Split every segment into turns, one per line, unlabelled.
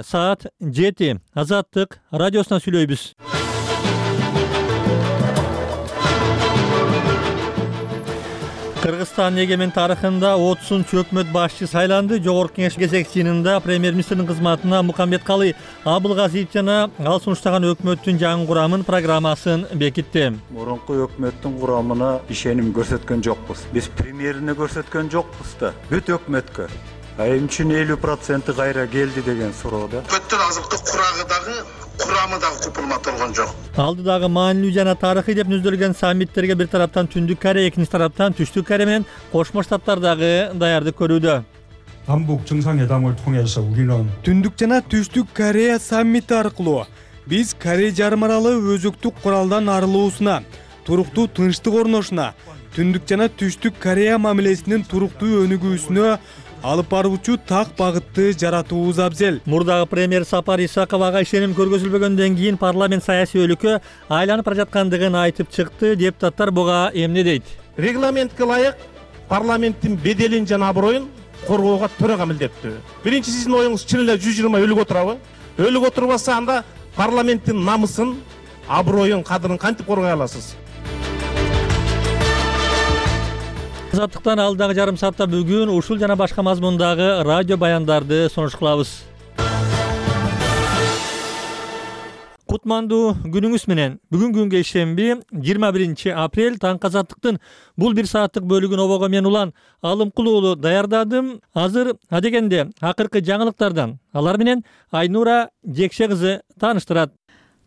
Саат 7 Азаттык радиосунан сүйлөйбүз. Кыргызстан эгемен тарыхында 30 өкмөт башчы сайланды. Жогорку кеңеш кезек жыйынында премьер-министрдин кызматына Мукамметкалый Абылгазиев жана ал сунуштаган өкмөттүн жаңы курамын программасын бекитти.
Мурунку өкмөттүн курамына ишеним көрсөткөн жокпуз. Биз премьерине көрсөткөн жокпуз да. Бүт өкмөткө. Эми үчүн 50% кайра келди деген суроода.
Өкмөттүн азыркы курамы дагы купулматылган жок.
Алдыдагы маанилүү жана тарыхый деп нүзөлгөн саммиттерге бир тараптан Түндүк Корея, экинчи тараптан Түштүк Корея менен Кошмо Штаттар дагы даярдык көрүүдө.
남북 정상회담을 통해서 우리는
Түндүк жана Түштүк Корея саммити аркылуу биз Корея жарым аралы өзөктүк куралдан арылуусуна, туруктуу тынчтык орношуна, Түндүк жана Түштүк Корея мамилесинин туруктуу өнүгүүсүнө алып баруучу так багытты жаратуубуз абзел.
Мурдагы премьер Сапар Исаковага ишеним көргөзүлбөгөндөн кийин парламент саясий өлкө айланып бара жаткандыгын айтып чыкты. Депутаттар буга эмне дейт?
Регламентке ылайык парламенттин беделин жана аброюн коргоого төрага милдеттүү. Биринчи сиздин оюңуз чын эле 120 өлүк отурабы? Өлүк отурбаса анда парламенттин намысын, аброюн, кадырын кантип коргой аласыз?
Азаттыктан алдагы жарым саатта бүгүн ушул жана башка мазмундагы радио баяндарды сунуш кылабыз. Кутмандуу күнүңүз менен. Бүгүн күнгө ишемби 21 апрель таңкы Азаттыктын бул 1 сааттык бөлүгүн обого мен улан Алымкул уулу даярдадым. Азыр адегенде акыркы жаңылыктардан алар менен Айнура Жекше кызы тааныштырат.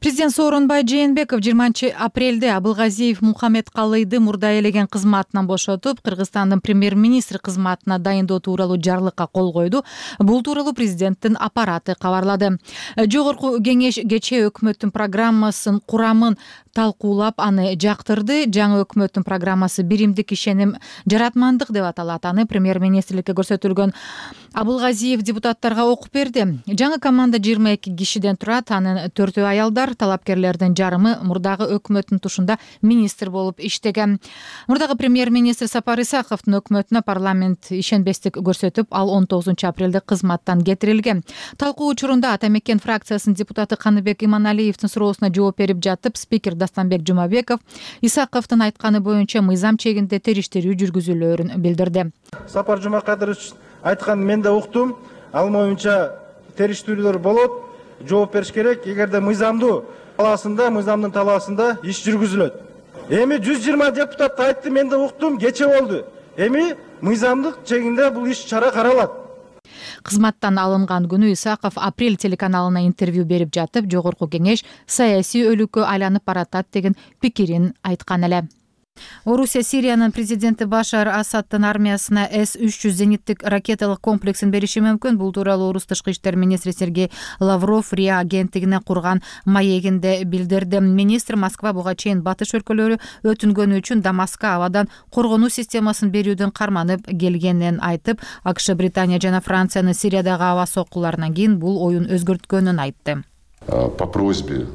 Президент Сооронбай Жээнбеков 20 апрелде Абылгазиев Мукамметкалыйды мурда ээлеген кызматынан бошотуп, Кыргызстандын премьер-министри кызматына дайындоо тууралуу жарлыкка кол койду. Бул тууралуу президенттин аппараты кабарлады. Жогорку кеңеш кечээ өкмөттүн программасын курамын талкуулап, аны жактырды. Жаңы өкмөттүн программасы биримдик ишеним жаратмандык деп аталат. Аны премьер-министрликке көрсөтүлгөн Абылгазиев депутаттарга окуп берди. Жаңы команда 22 кишиден турат. Анын 4-өө аялдар, талапкерлердин жарымы мурдагы өкмөттүн тушунда министр болуп иштеген. Мурдагы премьер-министр Сапар Исаковдун өкмөтүнө парламент ишенбестик көрсөтүп, ал 19 апрелде кызматтан кетирилген. Талкуу учурунда Ата Мекен фракциясынын депутаты Каныбек Иманалиевдин суроосуна жооп берип жатып, спикер Дастанбек Жумабеков Исаковдун айтканы боюнча мыйзам чегинде териштирүү жүргүзүлөөрүн билдирди.
Сапар Жумакадырович айткан мен да уктум. Ал боюнча териштирүүлөр болот. Жооп бериш керек. Эгерде мыйзамдын талаасында иш жүргүзүлөт. Эми 120 депутат айтты, мен да уктум, кече болду. Эми мыйзамдык чегинде бул иш чара каралат.
Кызматтан алынган күнү Исаков Апрель телеканалына интервью берип жатып, жогорку кеңеш саясий өлүккө айланып баратат деген пикирин айткан эле. Орусия Сириянын президенти Башар Асаддын армиясына С-300 зениттик ракеталык комплексин бериши мүмкүн. Бул тууралуу Орус тышкы иштер министри Сергей Лавров РИА агенттигине курган маегинде билдирди. Министр Москва буга чейин батыш өлкөлөрү өтүнгөнү үчүн Дамаскка абадан коргонуу системасын берүүдөн карманып келгенин айтып, АКШ, Британия жана Франциянын Сириядагы аба соккуларынан кийин бул оюн өзгөрткөнүн айтты.
По просьбе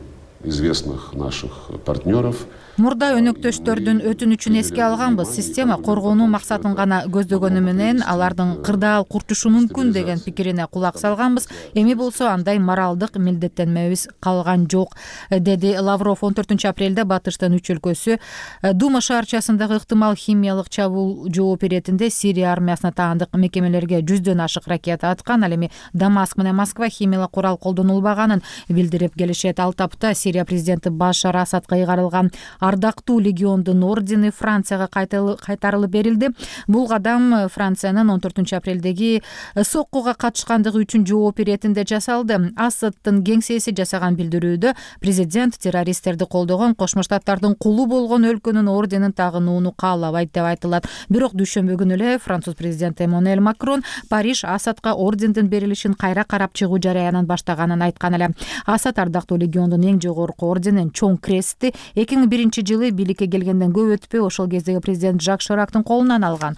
известных наших партнеров
Мурда өнөктөштөрдүн өтүнүчүн эске алганбыз. Система коргонуу максатын гана көздөгөнү менен алардын кырдаал курчушу мүмкүн деген пикирине кулак салганбыз. Эми болсо андай моралдык милдеттенмебиз калган жок, деди Лавров. 14 апрелде батыштын 3 өлкөсү Дума шаарчасындагы ыктымал химиялык чабуул жооп иретинде Сирия армиясына таандык мекемелерге 100дөн ашык ракета аткан. Ал эми Дамаск менен Москва химиялык курал колдонулбаганын билдирип келишет. Ал тапта Сирия президенти Башар Асадка ыйгарылган Ардактуу легиондун ордени Францияга кайтарылып берилди. Бул кадам Франциянын 14 апрелдеги соккуга катышкандыгы үчүн жооп иретинде жасалды. Асаддын кеңсеси жасаган билдирүүдө президент террористтерди колдогон Кошмо Штаттардын кулу болгон өлкөнүн орденин тагынууну каалабайт деп айтылат. Бирок дүйшөмбү күнү эле француз президенти Эммануэль Макрон Париж Асадка ордендин берилишин кайра карап чыгуу жараянын баштаганын айткан эле. Асад Ардактуу легиондун эң жогорку орденин Чоң крестти 2001 жылы бийликке келгенден көп өтпөй ошол кездеги президент Жак Ширактын колунан алган.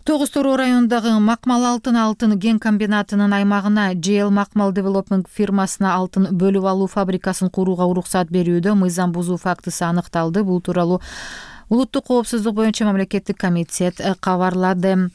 Тогуз-Тороо районундагы Макмал алтын кен комбинатынын аймагына JL Макмал Development фирмасына алтын бөлүп алуу фабрикасын курууга уруксат берүүдө мыйзам бузуу фактысы аныкталды. Бул тууралуу Улуттук коопсуздук боюнча мамлекеттик комитет кабарлады.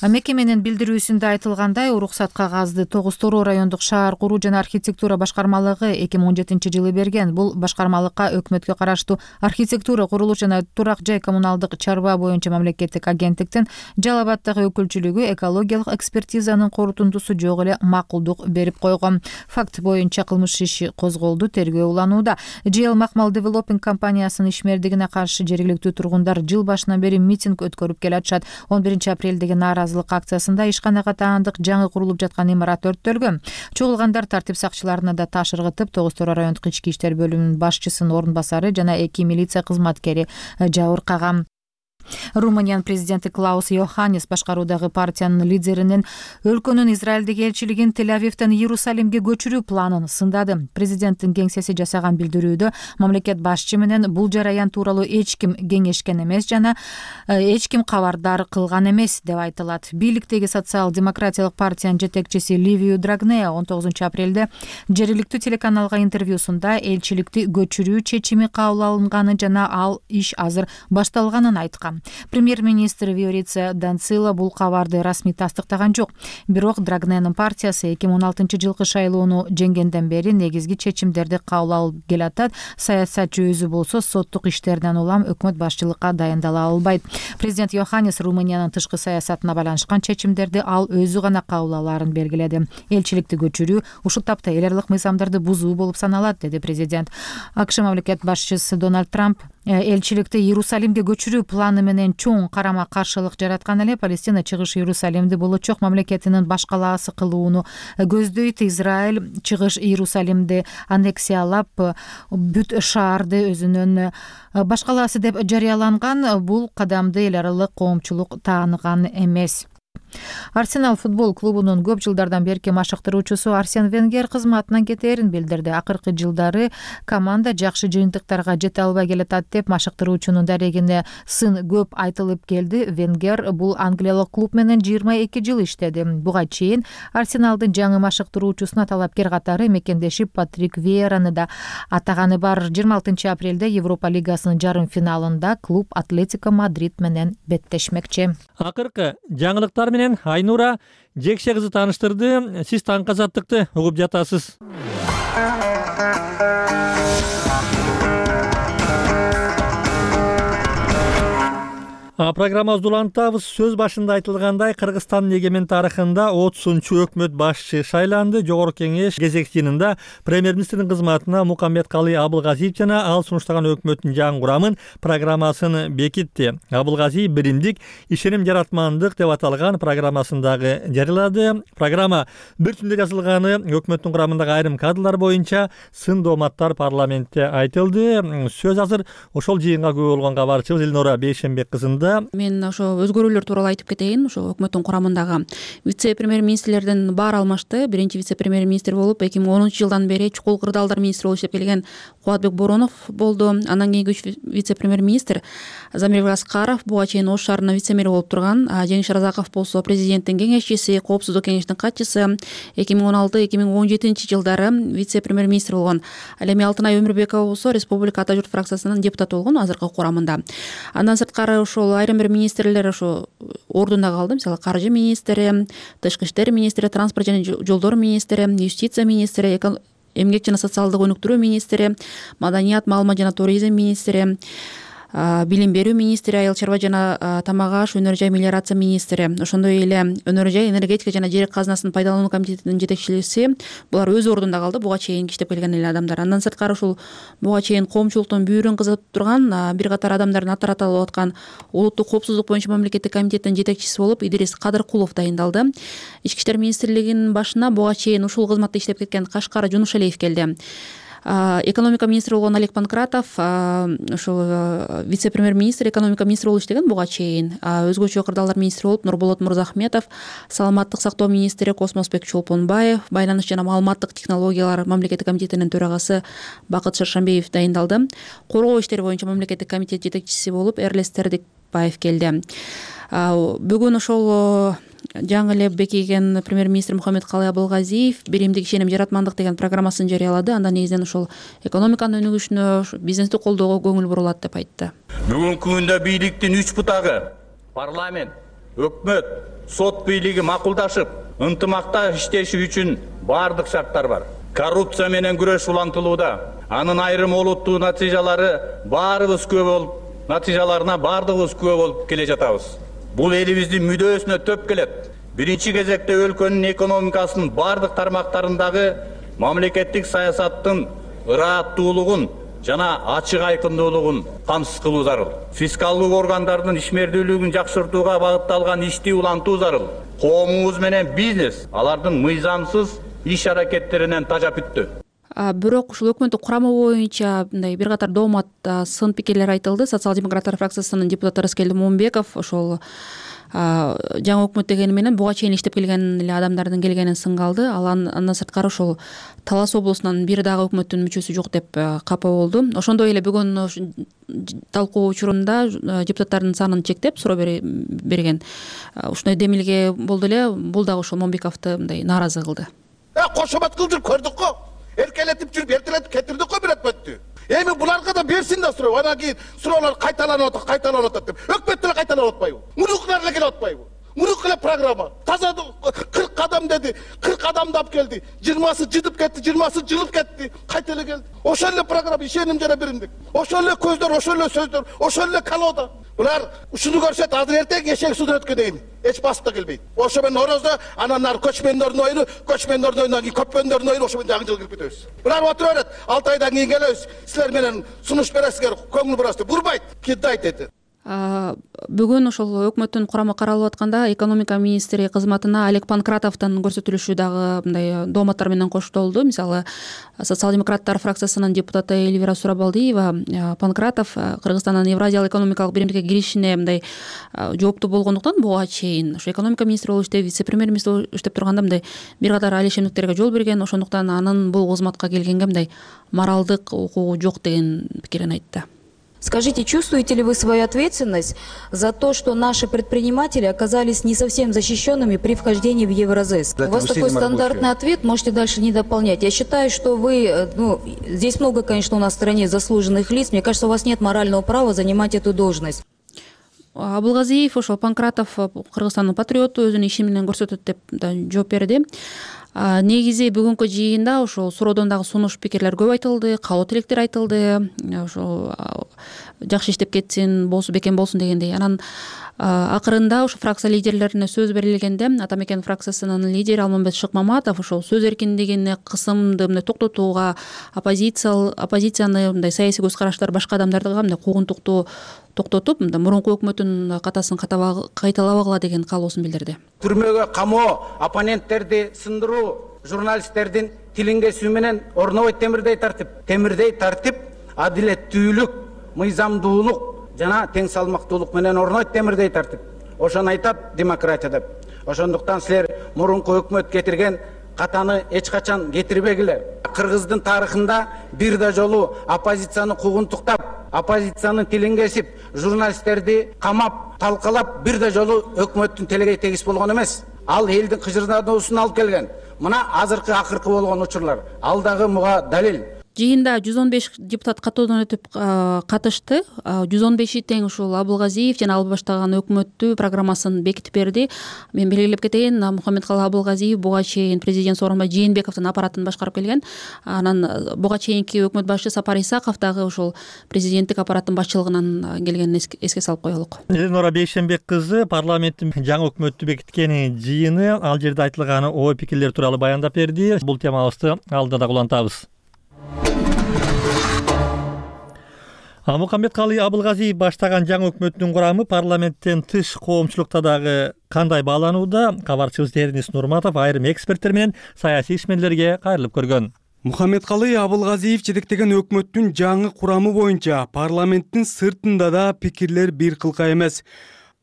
Мекеменин билдирүүсүндө айтылгандай, уруксат кагазды Тогуз-Тороо райондук шаар куруу жана архитектура башкармалыгы 2017-жылы берген. Бул башкармалыкка өкмөткө караштуу архитектура, курулуш жана турак жай коммуналдык чарба боюнча мамлекеттик агенттиктин Жалал Абаддагы өкүлчүлүгү экологиялык экспертизанын корутундусу жок эле макулдук берип койгон. Факт боюнча кылмыш иши козголду, тергөө уланууда. GL Макмал Developing компаниясынын ишмердигине каршы жергиликтүү тургундар жыл башынан бери митинг өткөрүп келатышат. 11 апрелдеги нааразылык акциясында ишканага таандык жаңы курулуп жаткан имарат өрттөлгөн. Чогулгандар тартип сакчыларына да таш ыргытып, Тогуз-Тороо райондук ички иштер бөлүмүнүн башчысынын орун басары жана 2 милиция кызматкери жабыркаган. Румыниянын президенти Клаус Йоханнис башкаруудагы партиянын лидеринин өлкөнүн Израилдеги элчилигин Тель-Авивден Иерусалимге көчүрүү планын сындады. Президенттин кеңсеси жасаган билдирүүдө мамлекет башчы менен бул жараян тууралуу эч ким кеңешкен эмес жана эч ким кабардар кылган эмес деп айтылат. Бийликтеги социал-демократиялык партиянын жетекчиси Ливию Драгнея 19 апрелде жергиликтүү телеканалга интервьюсунда элчиликти көчүрүү чечими кабыл алынганы жана ал иш азыр башталганын айткан. Премьер-министр Виорица Данцила бул кабарды расмий тастыктаган жок. Бирок Драгненин партиясы 2016-жылкы шайлоону жеңгенден бери негизги чечимдерди кабыл алып келатат. Саясатчы өзү болсо соттук иштерден улам өкмөт башчылыкка дайындала албайт. Президент Йоханнис Румыниянын тышкы саясатына байланышкан чечимдерди ал өзү гана кабыл алаарын белгиледи. Элчиликти көчүрүү ушул тапта эл аралык мыйзамдарды бузуу болуп саналат, деди президент. АКШ мамлекет башчысы Дональд Трамп элчиликти Иерусалимге көчүрүү планы менен чоң карама каршылык жараткан эле Палестина чыгыш Иерусалимди болочок мамлекетинин баш калаасы кылууну көздөйт. Израиль чыгыш Иерусалимди аннексиялап, бүт шаарды өзүнүн баш калаасы деп жарыяланган. Бул кадамды эл аралык коомчулук тааныган эмес. Арсенал футбол клубунун көп жылдардан берки машыктыруучусу Арсен Венгер кызматынан кетээрин билдирди. Акыркы жылдары команда жакшы жыйынтыктарга жете албай келатат деп машыктыруучунун дарегине сын көп айтылып келди. Венгер бул англиялык клуб менен 22 жыл иштеди. Буга чейин Арсеналдын жаңы машыктыруучусуна талапкер катары мекендеши Патрик Вейераны да атаганы бар. 26 апрелде Европа лигасынын жарым финалында клуб Атлетико Мадрид менен беттешмекчи.
Акыркы жаңылыктар менен Айнура Жекше кызы тааныштырды. Сиз таңкы азаттыкты угуп жатасыз. Программабызды улантабыз. Сөз башында айтылгандай, Кыргызстандын эгемен тарыхында 30-чу өкмөт башчы шайланды. Жогорку кеңеш кезек жыйынында премьер-министрдин кызматына Мукаммедкалый Абылгазиев жана ал сунуштаган өкмөттүн жаңы курамын программасын бекитти. Абылгазиев биримдик, ишеним жаратмандык деп аталган программасындагы жарыялады. Программа бир түндө жазылганы, өкмөттүн курамындагы айрым кадрлар боюнча сын дооматтар парламентте айтылды. Сөз азыр ошол жыйынга күбө болгон кабарчыбыз Элнора Бейшенбек кызында.
Мен ошо өзгөрүүлөр тууралуу айтып кетейин. Ошо өкмөттүн курамындагы вице-премьер-министрлерден баары алмашты. Биринчи вице-премьер-министр болуп 2010 жылдан бери чукул кырдаалдар министри болуп иштеп келген Кубатбек Боронов болду. Андан кийинки вице-премьер-министр Замир Аскаров буга чейин Ош шаарына вице-мэр болуп турган. Жеңиш Разаков болсо президенттин кеңешчиси, коопсуздук кеңешинин катчысы. 2016-2017 жылдары вице-премьер-министр болгон. Ал эми Алтынай Өмүрбекова болсо республика Ата журт фракциясынын депутаты болгон азыркы курамында. Андан сырткары ошол айрым бир министрлер ошо ордунда калды. Мисалы каржы министри, тышкы иштер министри, транспорт жана жолдор министри, юстиция министри, эмгек жана социалдык өнүктүрүү министри, маданият, маалымат жана туризм министри, билим берүү министри, айыл чарба жана тамак аш, өнөр жай, мелиорация министри, ошондой эле өнөр жай, энергетика жана жер казынасын пайдалануу комитетинин жетекчиси. Булар өз ордунда калды, буга чейин иштеп келген эле адамдар. Андан сырткары ушул буга чейин коомчулуктун бүйүрүн кызып турган бир катар адамдардын аттары аталып аткан улуттук коопсуздук боюнча мамлекеттик комитеттин жетекчиси болуп Идирис Кадыркулов дайындалды. Ички иштер министрлигинин башына буга чейин ушул кызматта иштеп кеткен Кашкар Жунушалиев келди. Экономика министри болгон Олег Панкратов ошол вице-премьер-министр, экономика министри болуп иштеген буга чейин. Өзгөчө кырдаалдар министри болуп Нурболот Мырзахметов, саламаттык сактоо министри Космосбек Чолпонбаев, байланыш жана маалыматтык технологиялар мамлекеттик комитетинин төрагасы Бакыт Шаршамбиев дайындалды. Коргоо иштери боюнча мамлекеттик комитет жетекчиси болуп Эрлес Тердикбаев келди. Бүгүн ошол жаңы эле бекиген премьер-министр Мукаммедкалый Абылгазиев биримдик, ишеним, жаратмандык деген программасын жарыялады. Андан негизинен ошол экономиканын өнүгүшүнө, бизнести колдоого көңүл бурулат деп айтты.
Бүгүнкү күндө бийликтин 3 бутагы парламент, Өкмөт, сот бийлиги макулдашып, ынтымакта иштеши үчүн бардык шарттар бар. Коррупция менен күрөш улантылууда. Анын айрым олуттуу натыйжаларына бардыгыбыз күбө болуп келе жатабыз. Бул элибиздин мүдөөсүнө төп келет. Биринчи кезекте өлкөнүн экономикасынын бардык тармактарындагы мамлекеттик саясаттын ырааттуулугун жана ачык айкындуулугун камсыз кылуу зарыл. Фискалдык органдардын ишмердүүлүгүн жакшыртууга багытталган ишти улантуу зарыл. Коомубуз менен бизнес алардын мыйзамсыз иш аракеттеринен тажап бүттү.
Бирок ушул өкмөттүн курамы боюнча мындай бир катар доомат сын пикирлер айтылды. Социал-демократтар фракциясынын депутаты Рыскелди Момунбеков ошол жаңы өкмөт дегени менен буга чейин иштеп келген эле адамдардын келгенин сынга алды. Ал андан сырткары ошол Талас облусунан бир дагы өкмөттүн мүчөсү жок деп капа болду. Ошондой эле бүгүн талкуу учурунда депутаттардын санын чектеп суроо берген. Ушундай демилге болду эле. Бул дагы ошол Момунбековду мындай нааразы кылды.
Кошомат кылып жүрүп көрдүк го. Эркелетип жүрүп эртелетип кетирдик го бир өкмөттү. Эми буларга да берсин да суроо. Анан кийин суроолор кайталанып атат деп. Өкмөт деле кайталанып атпайбы? Мурукулар эле келип атпайбы? Мурuk эле программа. Таза 40 адам деди. 40 адамды алып келди. 20сы жыдып кетти, 20сы жылып кетти. Кайта эле келди. Ошол эле программа ишеним жана биримдик. Ошол эле көздөр, ошол эле сөздөр, ошол эле колода. Булар ушуну көрсөт, азыр эртең эшек судан өткөн эч басып да келбейт. Ошо менен орозо, анан нар көчмөндөрдүн ойуну, көчмөндөрдүн oyundan кийин көпмөндөрдүн oyunu ошо менен жаңы жыл кирип кетебиз. Булар отура берет. 6 айдан кийин келебиз. Силер менен сунуш бересиздер, көңүл бурасыздар. Бурбайт, кидайт деди.
Бүгүн ошол өкмөттүн курамы каралып атканда экономика министри кызматына Олег Панкратовдун көрсөтүлүшү дагы мындай дооматтар менен коштолду. Мисалы, социал-демократтар фракциясынын депутаты Эльвира Сурабалдиева Панкратов Кыргызстандын Евразиялык экономикалык биримдикке киришине мындай жооптуу болгондуктан буга чейин ошо экономика министри болуп иштеп, вице-премьер министр болуп иштеп турганда мындай бир катар алишемдиктерге жол берген. Ошондуктан анын бул кызматка келгенге мындай моралдык укугу жок деген пикирин айтты.
Скажите, чувствуете ли вы свою ответственность за то, что наши предприниматели оказались не совсем защищенными при вхождении в Евразес? У вас такой стандартный ответ, можете дальше не дополнять. Я считаю, что вы, здесь много, конечно, у нас в стране заслуженных лиц, мне кажется, у вас нет морального права занимать эту должность.
Абылгазиев ошол Панкратов Кыргызстандын патриоту өзүнүн иши менен көрсөтөт деп жооп берди. Негизи бүгүнкү жыйында ошол суроодон дагы сунуш пикирлер көп айтылды, каалоо тилектер айтылды. Ошол жакшы иштеп кетсин, бекем болсун дегендей. Анан акырында ошо фракция лидерлерине сөз берилгенде Атамекен фракциясынын лидери Алмамбет Шыкмаматов ошол сөз эркиндигине кысымды мындай токтотууга, оппозицияны мындай саясий көз караштар башка адамдардыга мындай куугунтукту токтотуп, мурунку өкмөттүн катасын кайталабагыла деген каалоосун билдирди.
Түрмөгө камоо, оппоненттерди сындыруу, журналисттердин тилин кесүү менен орнобойт темирдей тартип, адилеттүүлүк, мыйзамдуулук жана тең салмактуулук менен орнойт темирдей тартип. Ошону айтат демократия деп. Ошондуктан силер мурунку өкмөт кетирген катаны эч качан кетирбегиле. Кыргыздын тарыхында бир да жолу оппозицияны куугунтуктап, оппозициянын тилин кесип, журналисттерди камап, талкалап бир да жолу өкмөттүн телегей тегис болгон эмес. Ал элдин кыжырдануусун алып келген. Мына азыркы акыркы болгон учурлар. Ал дагы буга далил.
Жыйында 115 депутат каттоодон өтүп катышты. 115 тең ушул Абылгазиев жана алып баштаган өкмөттү программасын бекитип берди. Мен белгилеп кетейин, Мухаммедкалы Абылгазиев буга чейин президент сооронбай Жээнбековдун аппаратын башкарып келген. Анан буга чейинки өкмөт башчы Сапар Исаков дагы ушул президенттик аппараттын башчылыгынан келгенин эске салып коелук.
Эленора Бейшенбек кызы парламенттин жаңы өкмөттү бекиткени жыйыны, ал жерде айтылган ой пикирлер тууралуу баяндап берди. Бул темабызды алда да улантабыз. Мухаммедкалы Абылгазиев баштаган жаңы өкмөттүн курамы парламенттен тыш коомчулукта дагы кандай бааланууда? Кабарчыбыз Деринис Нурматов айрым эксперттер менен саясий ишмерлерге кайрылып көргөн.
Мухаммедкалы Абылгазиев жетектеген өкмөттүн жаңы курамы боюнча парламенттин сыртында да пикирлер бир кылка эмес.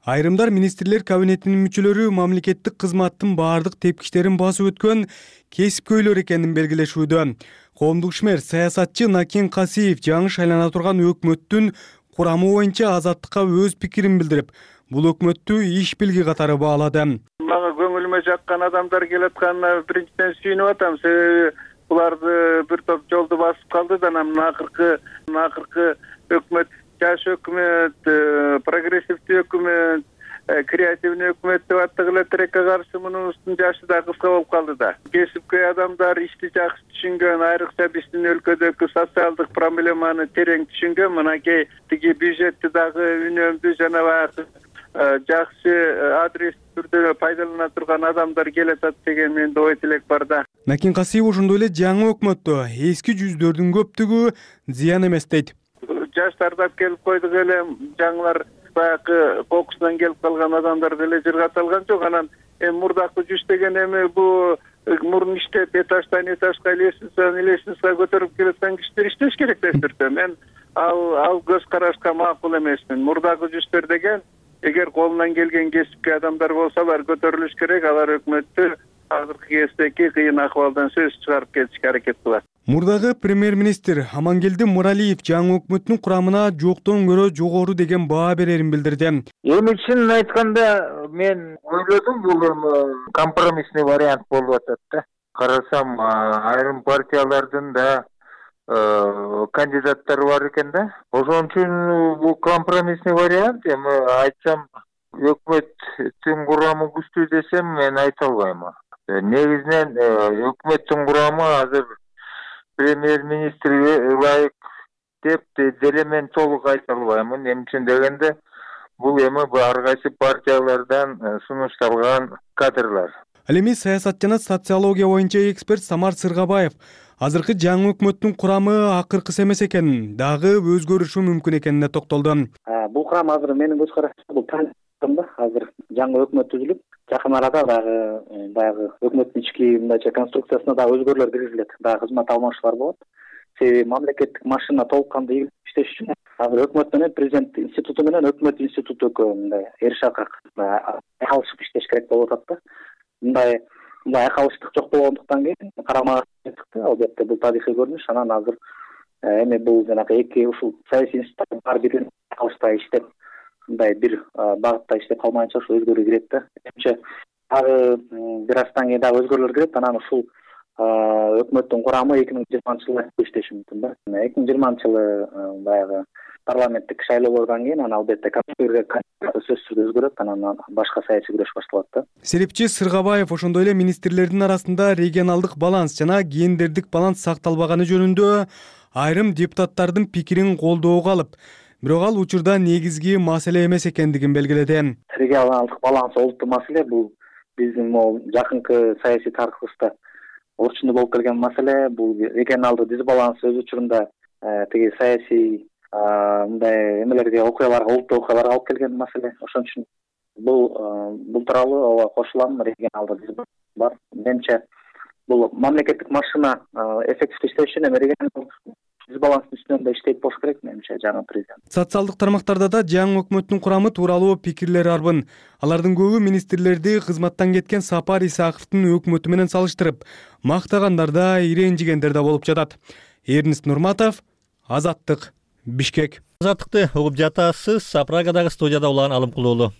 Айрымдар министрлер кабинетинин мүчөлөрү мамлекеттик кызматтын баардык тепкичтерин басып өткөн кесипкөйлөр экенин белгилешүүдө. Коомдук ишмер саясатчы Накен Касиев жаңы шайлана турган өкмөттүн курамы боюнча Азаттыкка өз пикирин билдирип, бул өкмөттү иш билги катары баалады.
Мага көңүлүмө жаккан адамдар келатканына биринчиден сүйүнүп атам. Себеби буларды бир топ жолду басып калды да, анан акыркы өкмөт жаш өкмөт, прогрессивдүү өкмөт, креативный өкмөт деп аттык эле тилекке каршы мунун жашы да кыска болуп калды да. Кесипкөй адамдар ишти жакшы түшүнгөн, айрыкча биздин өлкөдөгү социалдык проблеманы терең түшүнгөн, мынакей тиги бюджетти дагы үнөмдүү жана баягы жакшы адрес түрдө пайдалана турган адамдар келатат деген менде ой тилек бар да.
Накин Касиев ошондой эле жаңы өкмөттө эски жүздөрдүн көптүгү зыян эмес дейт.
Жаш тартап келип койдук эле, жаңылар баягы кокусунан келип калган адамдар деле жыргатылган жок. Анан мурдакы жүз деген эми бу мурун иштеп этаждан этажга лестницага көтөрүп келаткан кишилер иштеш керек деп түрдө. Мен ал көз карашка макул эмесмин. Мурдагы жүздөр деген эгер колунан келген кесипкөй адамдар болсалар көтөрүлүш керек, алар өкмөттү азыркы кездеги кыйын акыбалдан сөз чыгарып кетишке аракет кылат.
Мурдагы премьер-министр Амангелди Муралиев жаңы өкмөттүн курамына жоктон көрө жогору деген баа берерин билдирди.
Эми чынын айтканда мен ойлодум бул компромиссный вариант болуп атат да. Карасам айрым партиялардын да кандидаттары бар экен да. Ошон үчүн бул компромиссный вариант. Эми айтсам өкмөттүн курамы күчтүү десем мен айта албайм. Негизинен өкмөттүн курамы азыр премьер-министрге ылайык деп деле мен толук айта албаймын. Эмне үчүн дегенде бул эми ар кайсы партиялардан сунушталган кадрлар.
Ал эми саясат жана социология боюнча эксперт Самар Сыргабаев азыркы жаңы өкмөттүн курамы акыркысы эмес экенин, дагы өзгөрүшү мүмкүн экенине токтолду.
Бул курам азыр менин көз карашым бул да, азыр жаңы өкмөт түзүлүп, жакын арада дагы баягы өкмөттүн ички мындайча конструкциясына да өзгөрүүлөр киргизилет, дагы кызмат алмашуулар болот. Себеби мамлекеттик машина толук кандуу иштеш үчүн азыр өкмөт менен президент институту менен өкмөт институту экөө мындай эришакак айкалышып иштеш керек болуп атат да. Мындай айкалыштык жок болгондуктан кийин карама чыкты. Албетте бул тарыхый көрүнүш. Анан азыр эми бул жанагы эки ушул саясий институттар баары бир айкалышпай иштеп, мындай бир багытта иштеп калмайынча ошо өзгөрүү кирет да. Эмче дагы бир аздан кийин дагы өзгөрүүлөр кирет. Анан ушул өкмөттүн курамы 2020-жылы иштеши мүмкүн да. 2020-жылы баягы парламенттик шайлоолордон кийин анан албетте сөзсүз түрдө өзгөрөт, анан башка саясий күрөш башталат да.
Серепчи Сыргабаев ошондой эле министрлердин арасында регионалдык баланс жана гендердик баланс сакталбаганы жөнүндө айрым депутаттардын пикирин колдоого алып, бирок ал учурда негизги маселе эмес экендигин белгиледи.
Регионалдык баланс олуттуу маселе, бул биздин жакынкы саясий тарыхыбызда орчуну болуп келген маселе. Бул регионалдык дисбаланс өз учурунда тиги саясий мындай эмелерге, окуяларга, олуттуу окуяларга алып келген маселе. Ошон үчүн бул тууралуу ооба кошулам, регионалдык дисбаланс бар. Менимче бул мамлекеттик машина эффективдүү иштеш үчүн эми регионалдык дисбаланстын үстүнөн да иштейт болуш керек, менимче жаңы президент.
Социалдык тармактарда да жаңы өкмөттүн курамы тууралуу пикирлер арбын. Алардын көбү министрлерди кызматтан кеткен Сапар Исаковдун өкмөтү менен салыштырып, мактагандар да, ирэнжигендер да болуп жатат. Эрнест Нурматов, Азаттык, Бишкек.
Азаттыкты угуп жатасыз. Прагадагы студияда Улан Алымкулуу.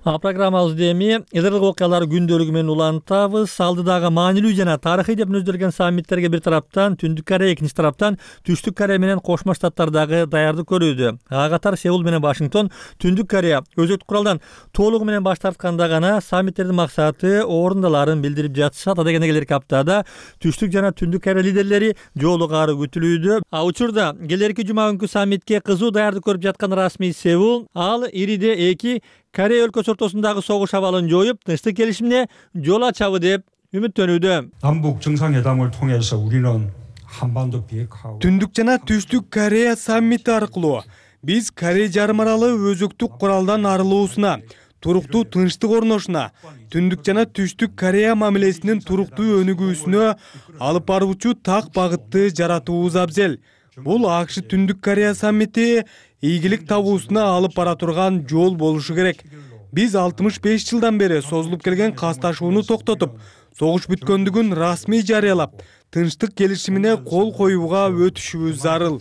Программабызды эми элдик окуялар күндөлүгү менен улантабыз. Алдыдагы маанилүү жана тарыхый деп мүнөздөлгөн саммиттерге бир тараптан Түндүк Корея, экинчи тараптан Түштүк Корея менен Кошмо Штаттардагы даярдык көрүүдө. Ага катар Сеул менен Вашингтон Түндүк Корея өзөктүк куралдан толугу менен баш тартканда гана саммиттердин максаты орундаларын билдирип жатышат. Адегенде келерки аптада Түштүк жана Түндүк Корея лидерлери жолугары күтүлүүдө. Учурда келерки жума күнкү саммитке кызуу даярдык көрүп жаткан расмий Сеул, ал ириде эки Корея өлкөсү ортосундагы согуш абалын жоюп, тынчтык келишимине жол ачабы деп үмүттөнүүдө.
남북 정상회담을 통해서 우리는 한반도 비핵화하고
Түндүк жана Түштүк Корея саммити аркылуу биз Корея жарым аралы өзөктүк куралдан арылуусуна, туруктуу тынчтык орношуна, Түндүк жана Түштүк Корея мамилесинин туруктуу өнүгүүсүнө алып баруучу так багытты жаратуубуз абзел. Бул АКШ Түндүк Корея саммити ийгилик табуусуна алып бара турган жол болушу керек. Биз 65 жылдан бери созулуп келген касташууну токтотуп, согуш бүткөндүгүн расмий жарыялап, тынчтык келишимине кол коюуга өтүшүбүз зарыл.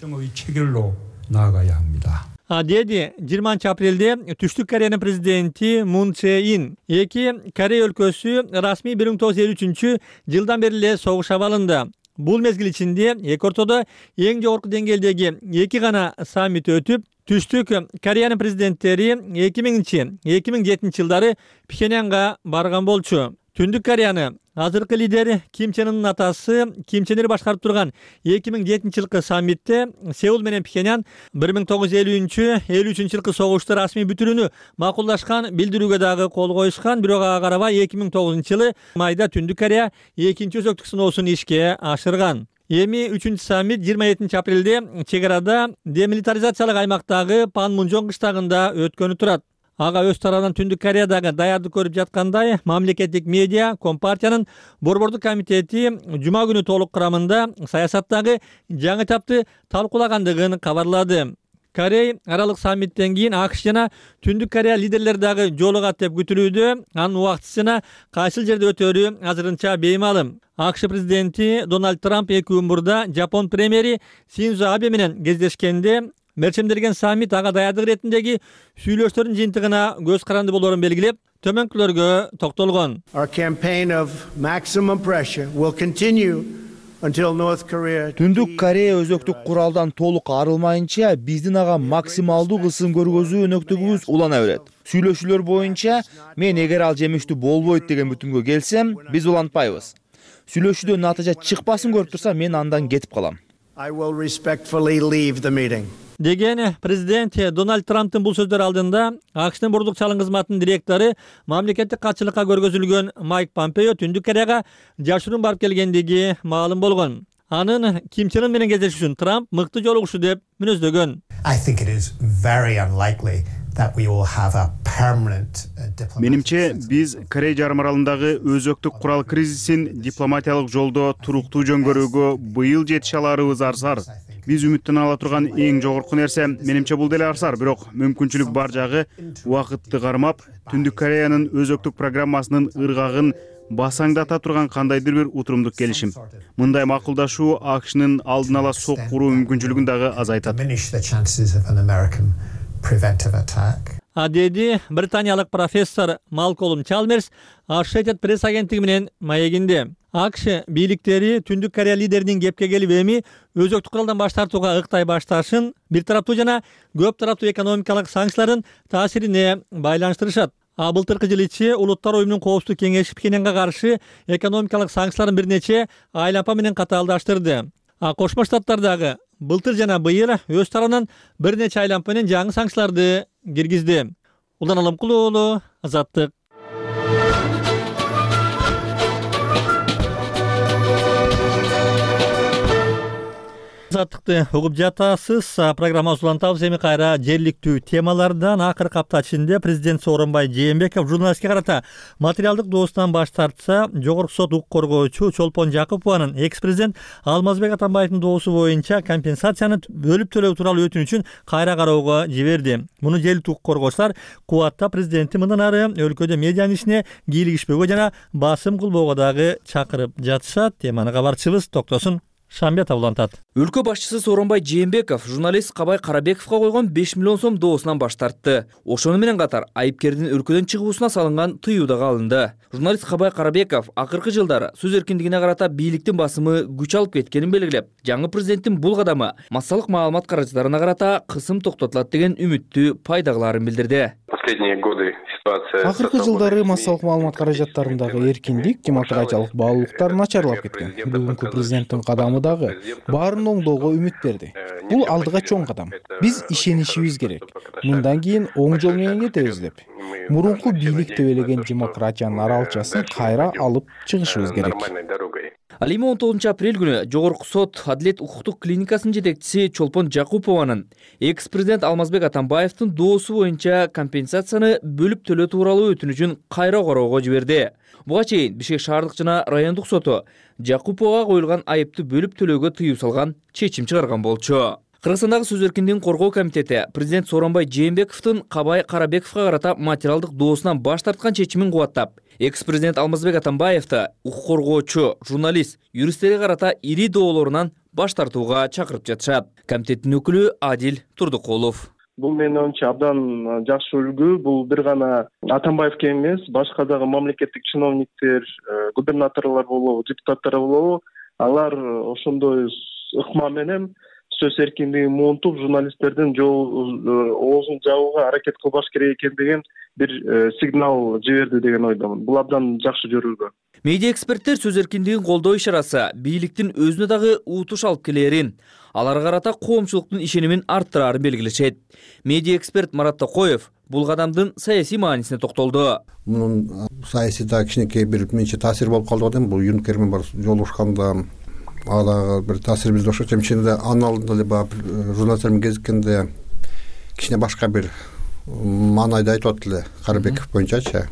Деди 20 апрелде Түштүк Кореянын президенти Мун Чже Ин эки Корея өлкөсү расмий 1953 жылдан бери эле согуш абалында. Бул мезгил ичинде эки ортодо эң жогорку деңгээлдеги 2 гана саммит өтүп, Түштүк Кореянын президенттери 2000-2007 жылдары Пхеньянга барган болчу. Түндүк Кореяны азыркы лидери Ким Чен Ынын атасы Ким Чен Ир башкарып турган 2007 жылкы саммитте Сеул менен Пхеньян 1953 жылкы согушту расмий бүтүрүүнү макулдашкан билдирүүгө дагы кол коюшкан, бирок ага карабай 2009 жылы майда Түндүк Корея экинчи өзөктүк сыноосун ишке ашырган. Эми 3 саммит 27 апрелде чек арада демилитаризациялык аймактагы Панмунжон кыштагында өткөнү турат. Ага өз тарабынан Түндүк Кореядагы даярдык көрүп жаткандай, мамлекеттик медиа Компартиянын борбордук комитети жума күнү толук курамында саясаттагы жаңы этапты талкуулагандыгын кабарлады. Корей аралык саммиттен кийин АКШ жана Түндүк Корея лидерлери дагы жолугат деп күтүлүүдө. Анын убактысы жана кайсыл жерде өтөрү азырынча беймалым. АКШ президенти Дональд Трамп 2 күн мурда Жапон премьери Синдзо Абе менен кездешкенде мерчемделген саммит ага даярдык иретиндеги сүйлөштөрдүн жыйынтыгына көз каранды болоорун белгилеп, төмөнкүлөргө токтолгон.
Түндүк Корея өзөктүк куралдан толук арылмайынча биздин ага максималдуу кысым көргөзүү өнөктүгүбүз улана берет. Сүйлөшүүлөр боюнча мен эгер ал жемиштүү болбойт деген бүтүмгө келсем, биз улантпайбыз. Сүйлөшүүдөн натыйжа чыкпасын көрүп турсам, мен андан кетип калам.
Деген президент Дональд Трамптын бул сөздөр алдында АКШтын борбордук чалым кызматынын директору мамлекеттик катчылыкка көргөзүлгөн Майк Помпео Түндүк Кореяга жашыруун барып келгендиги маалым болгон. Анын Ким Чен Ын менен кездешүүсүн Трамп мыкты жолугушуу деп мүнөздөгөн.
Менимче, биз Корея жарым аралындагы өзөктүк курал кризисин дипломатиялык жолдо туруктуу жөнгөрүүгө быйыл жетише аларыбыз арзар. Биз үмүттөн ала турган эң жогорку нерсе, менимче бул деле арзар, бирок мүмкүнчүлүк бар жагы убакытты кармап, Түндүк Кореянын өзөктүк программасынын ыргагын басаңдата турган кандайдыр бир утурумдук келишим. Мындай макулдашуу АКШнын алдын ала сок куруу мүмкүнчүлүгүн дагы азайтат.
Деди британиялык профессор Малколм Чалмерс Associated Press агенттиги менен маегинде. АКШ бийликтери Түндүк Корея лидеринин кепке келип эми өзөктүк куралдан баш тартууга ыктай башташын бир тараптуу жана көп тараптуу экономикалык санкциялардын таасирине байланыштырышат. Былтыркы жыл ичи Улуттар уюмунун коопсуздук кеңеши Пхеньянга каршы экономикалык санкцияларын бир нече айлампа менен катаалдаштырды. Кошмо Штаттар дагы былтыр жана быйыл өз тарабынан бир нече айлампа менен жаңы санкцияларды киргизди. Улан Алымкулуу уулу, Азаттык. Азаттыкты угуп жатасыз. Программабыз улантабыз. Эми кайра жергиликтүү темалардан. Акыркы апта ичинде президент Сооронбай Жээнбеков журналистке карата материалдык доосунан баш тартса, жогорку сот укук коргоочу Чолпон Жакупованын экс-президент Алмазбек Атамбаевдин доосу боюнча компенсацияны бөлүп төлөө тууралуу өтүнүчүн кайра кароого жиберди. Муну жергиликтүү укук коргоочулар кубатта президенти мындан ары өлкөдө медианын ишине кийлигишпөөгө жана басым кылбоого дагы чакырып жатышат. Теманы кабарчыбыз Токтосун Шамбет улантат.
Өлкө башчысы Сооронбай Жээнбеков журналист Кабай Карабековго койгон 5 миллион сом доосунан баш тартты. Ошону менен катар айыпкердин өлкөдөн чыгуусуна салынган тыюу дагы алынды. Журналист Кабай Карабеков акыркы жылдары сөз эркиндигине карата бийликтин басымы күч алып кеткенин белгилеп, жаңы президенттин бул кадамы массалык маалымат каражаттарына карата кысым токтотулат деген үмүттү пайдагыларын билдирди.
Акыркы жылдары массалык маалымат каражаттарындагы эркиндик, демократиялык баалуулуктар начарлап кеткен. Бүгүнкү президенттин кадамы дагы баарын оңдоого үмүт берди. Бул алдыга чоң кадам. Биз ишенишибиз керек. Мындан кийин оң жол менен кетебиз деп. Мурунку бийлик төбөлөгөн демократиянын аралчасын кайра алып чыгышыбыз керек.
Ал эми 19 апрель күнү Жогорку сот Адилет укуктук клиникасынын жетекчиси Чолпон Жакупованын экс-президент Алмазбек Атамбаевдин доосу боюнча компенсацияны бөлүп төлөө тууралуу өтүнүчүн кайра кароого жиберди. Буга чейин Бишкек шаардык жана райондук соту Жакуповага коюлган айыпты бөлүп төлөөгө тыюу салган чечим чыгарган болчу. Кыргызстандагы сөз эркиндигин коргоо комитети президент Сооронбай Жээнбековдун Кабай Карабековго карата материалдык доосунан баш тарткан чечимин кубаттап, экс-президент Алмазбек Атамбаевди укук коргоочу, журналист, юристтерге карата ири доолорунан баш тартууга чакырып жатышат. Комитеттин өкүлү Адил Турдукулов.
Бул менин оюмча абдан жакшы үлгү. Бул бир гана Атамбаевге эмес, башка дагы мамлекеттик чиновниктер, губернаторлор болобу, депутаттар болобу, алар ошондой ыкма менен сөз эркиндигин муунтуп журналисттердин оозун жабууга аракет кылбаш керек экен деген бир сигнал жиберди деген ойдомун. Бул абдан жакшы көрүлгөн.
Медиа эксперттер сөз эркиндигин колдоо ишарасы бийликтин өзүнө дагы утуш алып келерин, аларга карата коомчулуктун ишенимин арттырарын белгилешет. Медиа эксперт Марат Токоев бул кадамдын саясий маанисине токтолду.
Мунун саясий да кичинекей бир менче таасир болуп калды дейм. Бул Юнкер менен бар жолугушканда ага бир таасир бизде окшойт. Чынында анын алдында эле баягы журналисттер менен кезиккенде кичине башка бир маанайда айтып атты эле Карыбеков боюнчачы.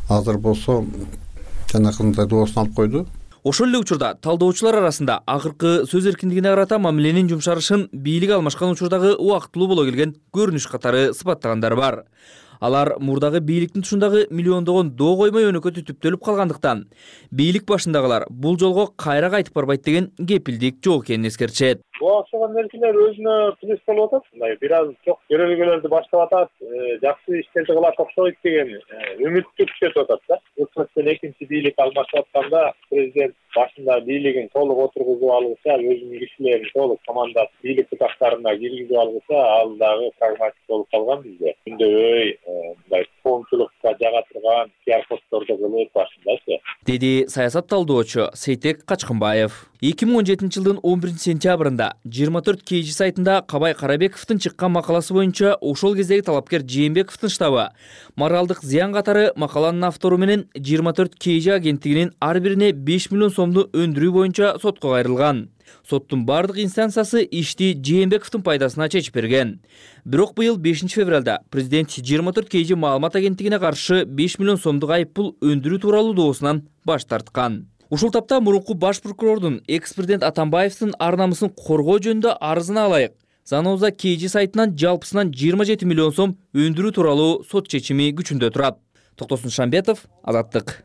Азыр болсо жанакындай доосун алып койду.
Ошол эле учурда талдоочулар арасында акыркы сөз эркиндигине карата мамиленин жумшарышын бийлик алмашкан учурдагы убактылуу боло келген көрүнүш катары сыпаттагандар бар. Алар мурдагы бийликтин тушундагы миллиондогон доо коймой өнөкө түтүптөлүп калгандыктан бийлик башындагылар бул жолго кайра кайтып барбайт деген кепилдик жок экенин эскертишет.
Буга окшогон нерселер өзүнө плюс болуп атат. Мындай бир аз жок көрөлгөлөрдү баштап атат, жакшы иштерди кылат окшойт деген үмүттү күтүп атат да. Өкмөттөн экинчи бийлик алмашып атканда президент башында бийлигин толук отургузуп алгыча, өзүнүн кишилерин толук командасы бийлик бутактарына киргизип алгыча, ал дагы прагматик болуп калган бизде. Күндөбөй мындай коомчулукка жага турган пиар постторду кылып башындачы.
Деди саясат талдоочу Сейтек Качкынбаев. 2017 жылдын 11 сентябрында 24 KG сайтында Кабай Карабековдун чыккан макаласы боюнча ошол кездеги талапкер Жээнбековдун штабы моралдык зыян катары макаланын автору менен 24 KG агенттигинин ар бирине 5 миллион сомду өндүрүү боюнча сотко кайрылган. Соттун бардык инстанциясы ишти Жээнбековдун пайдасына чечип берген. Бирок быйыл 5 февралда президент 24 KG маалымат агенттигине каршы 5 миллион сомдук айыппул өндүрүү тууралуу доосунан баш тарткан. Ушул тапта мурунку баш прокурордун экс-президент Атамбаевдин ар намысын коргоо жөнүндө арызына ылайык Заноза KG сайтынан жалпысынан 27 миллион сом өндүрүү тууралуу сот чечими күчүндө турат. Токтосун Шамбетов, Азаттык.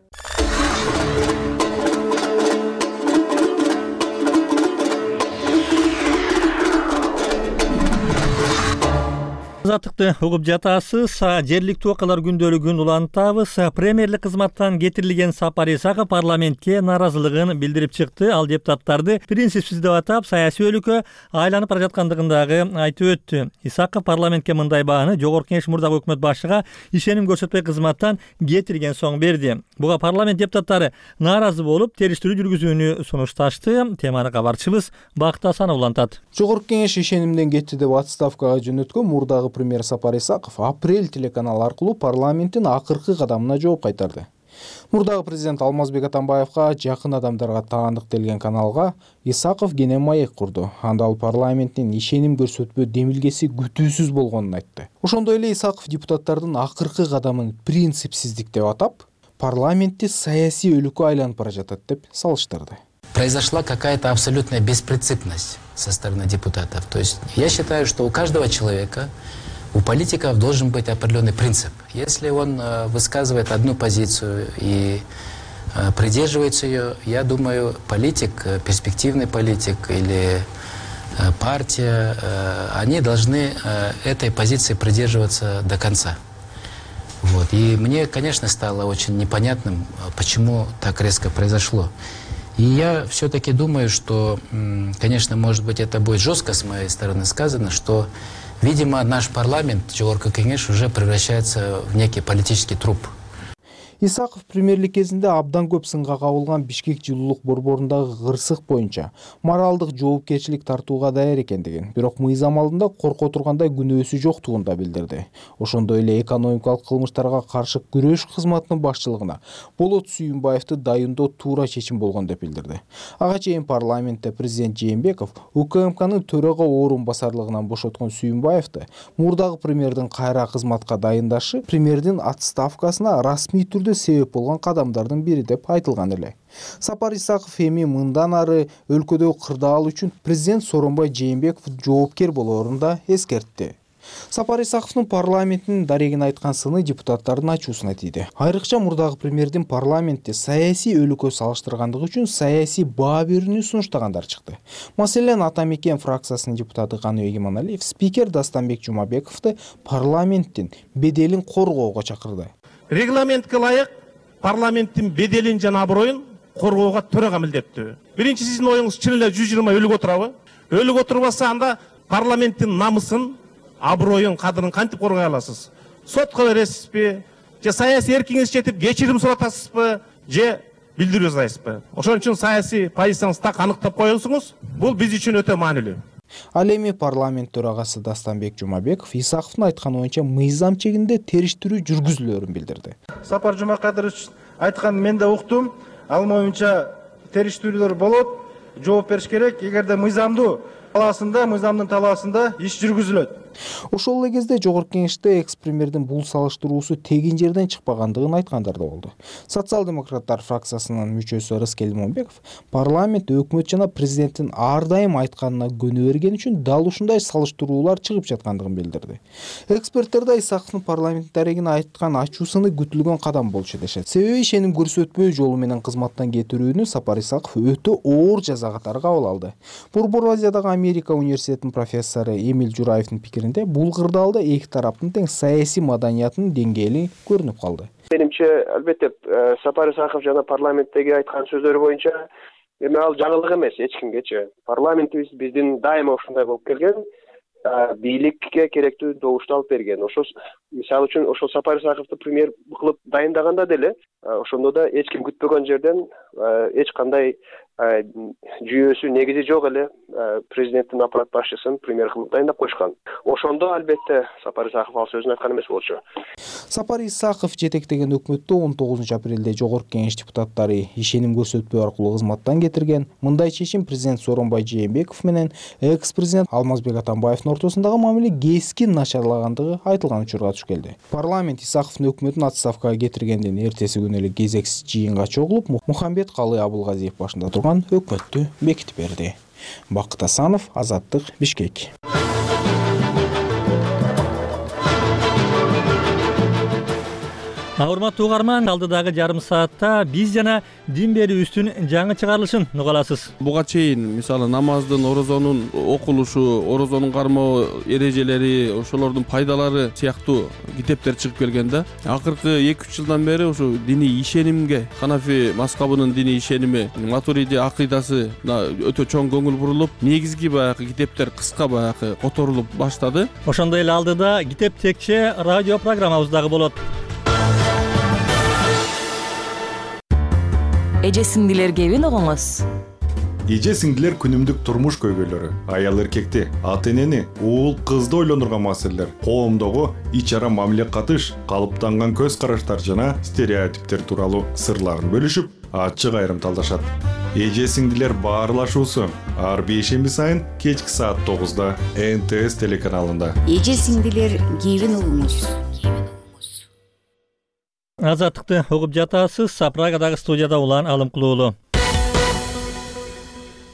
Азаттыкты угуп жатасыз. Жергиликтүү окуялар күндөлүгүн улантабыз. Премьерлик кызматтан кетирилген Сапар Исаков парламентке нааразылыгын билдирип чыкты. Ал депутаттарды принципсиз деп атап, саясий өлкө айланып бара жаткандыгын дагы айтып өттү. Исаков парламентке мындай бааны Жогорку Кеңеш мурдагы өкмөт башчыга ишеним көрсөтпөй кызматтан кетирген соң берди. Буга парламент депутаттары нааразы болуп, териштирүү жүргүзүүнү сунушташты. Теманы кабарчыбыз Бакыт Асанов улантат.
Жогорку Кеңеш ишенимден кетти деп отставкага жөнөткөн мурдагы премьер Сапар Исаков Апрель телеканалы аркылуу парламенттин акыркы кадамына жооп кайтарды. Мурдагы президент Алмазбек Атамбаевга жакын адамдарга таандык делген каналга Исаков кенен маек курду. Анда ал парламенттин ишеним көрсөтпөө демилгеси күтүүсүз болгонун айтты. Ошондой эле Исаков депутаттардын акыркы кадамын принципсиздик деп атап, парламентти саясий өлкө айланып бара жатат деп салыштырды.
Произошла какая-то абсолютная беспринципность со стороны депутатов. То есть я считаю, что у каждого человека, у политиков должен быть определенный принцип. Если он высказывает одну позицию и придерживается ее, я думаю, политик, перспективный политик или партия, они должны этой позиции придерживаться до конца. Вот. И мне, конечно, стало очень непонятным, почему так резко произошло. И я все-таки думаю, что, конечно, может быть, это будет жестко с моей стороны сказано, что, видимо, наш парламент, Жогорку Кеңеш, уже превращается в некий политический труп.
Исаков премьерлик кезинде абдан көп сынга кабылган Бишкек жылуулук борборундагы кырсык боюнча моралдык жоопкерчилик тартууга даяр экендигин, бирок мыйзам алдында корко тургандай күнөөсү жоктугун да билдирди. Ошондой эле экономикалык кылмыштарга каршы күрөш кызматынын башчылыгына Болот Сүйүнбаевди дайындоо туура чечим болгон деп билдирди. Ага чейин парламентте президент Жээнбеков УКМКнын төрага орун басарлыгынан бошоткон Сүйүнбаевди мурдагы премьердин кайра кызматка дайындашы премьердин отставкасына расмий түрдө себеп болгон кадамдардын бири деп айтылган эле. Сапар Исаков эми мындан ары өлкөдөгү кырдаал үчүн президент Сооронбай Жээнбеков жоопкер болоорун да эскертти. Сапар Исаковдун парламенттин дарегин айткан сыны депутаттардын ачуусуна тийди. Айрыкча мурдагы премьердин парламентте саясий өлкө салыштыргандыгы үчүн саясий баа берүүнү сунуштагандар чыкты. Маселен, Ата Мекен фракциясынын депутаты Каныбек Иманалиев спикер Дастанбек Жумабековду парламенттин беделин коргоого чакырды.
Регламентке ылайык парламенттин беделин жана аброюн коргоого төрага милдеттүү. Биринчи сиздин оюңуз чын эле 120 өлүгө турабы? Өлүгө турбаса анда парламенттин намысын, аброюн, кадырын кантип коргой аласыз? Сотко бересизби? Же саясий эркиңиз жетип кечирим суратасызбы? Же билдирүү жасайсызбы? Ошон үчүн саясий позицияңызды так аныктап коюңуз. Бул биз үчүн өтө маанилүү.
Ал эми парламент төрагасы Дастанбек Жумабеков Исаковдун айтканы боюнча мыйзам чегинде териштирүү жүргүзүлөөрүн билдирди.
Сапар Жумакадырович айтканын мен да уктум. Ал боюнча териштирүүлөр болот, жооп бериш керек. Эгерде мыйзамдын талаасында иш жүргүзүлөт.
Ошол эле кезде жогорку кеңеште экс-премьердин бул салыштыруусу тегин жерден чыкпагандыгын айткандар да болду. Социал-демократтар фракциясынын мүчөсү Рыскел Момбеков парламент өкмөт жана президенттин ар дайым айтканына көнө бергени үчүн дал ушундай салыштыруулар чыгып жаткандыгын билдирди. Эксперттер да Исаковдун парламент дарегине айткан ачуусуны күтүлгөн кадам болчу дешет. Себеби ишеним көрсөтпөө жолу менен кызматтан кетирүүнү Сапар Исаков өтө оор жаза катары кабыл алды. Борбор Азиядагы Америка университетинин профессору Эмиль Жураевдин пикиринде бул кырдаалда эки тараптын тең саясий маданиятынын деңгээли көрүнүп калды.
Менимче, албетте, Сапар Исаков жана парламенттеги айткан сөздөр боюнча эми ал жаңылык эмес эч кимгечи. Парламентибиз биздин дайыма ушундай болуп келген, бийликке керектүү добушту алып берген. Ошол мисалы үчүн ошол Сапар Исаковду премьер кылып дайындаганда деле ошондо да эч ким күтпөгөн жерден эч кандай жүйөсү негизи жок эле президенттин аппарат башчысын премьер кылып дайындап койшкан. Ошондо албетте Сапар Исаков ал сөзүн айткан эмес болчу.
Сапар Исаков жетектеген өкмөттө 19 апрелде жогорку кеңеш депутаттары ишеним көрсөтпөө аркылуу кызматтан кетирген. Мындай чечим президент Сооронбай Жээнбеков менен экс-президент Алмазбек Атамбаевдин ортосундагы мамиле кескин начарлагандыгы айтылган учурга туш келди. Парламент Исаковдун өкмөтүн отставкага кетиргенден эртеси күнү эле кезексиз жыйынга чогулуп, Мухамбет Калый Абылгазиев башында турган өкмөттү бекитип берди. Бакыт Асанов, Азаттык, Бишкек.
Урматтуу угарман, алдыдагы жарым саатта биз жана дин берүүбүздүн жаңы чыгарылышын уга аласыз.
Буга чейин мисалы намаздын, орозонун окулушу, орозонун кармоо эрежелери, ошолордун пайдалары сыяктуу китептер чыгып келген да. Акыркы 2-3 жылдан бери ушу диний ишенимге, Ханафи мазхабынын диний ишеними, Матуриди акыйдасына өтө чоң көңүл бурулуп, негизги баягы китептер кыска баягы которулуп баштады.
Ошондой эле алдыда китеп текче радио программабыз дагы болот.
Эже сиңдилерге эбин огоңуз.
Эже сиңдилер күнүмдүк турмуш көйгөйлөрү, аял эркекти, ата энени, уул кызды ойлондурган маселелер, коомдогу ич ара мамиле катыш, калыптанган көз караштар жана стереотиптер тууралуу сырларын бөлүшүп, ачык айрым талдашат. Эже сиңдилер баарлашуусу ар бейшемби сайын кечки саат 9-да НТС телеканалында.
Эже сиңдилер кийбин угуңуз.
Азаттыкты угуп жатасыз. Прагадагы студияда улан Алымкулуу уулу.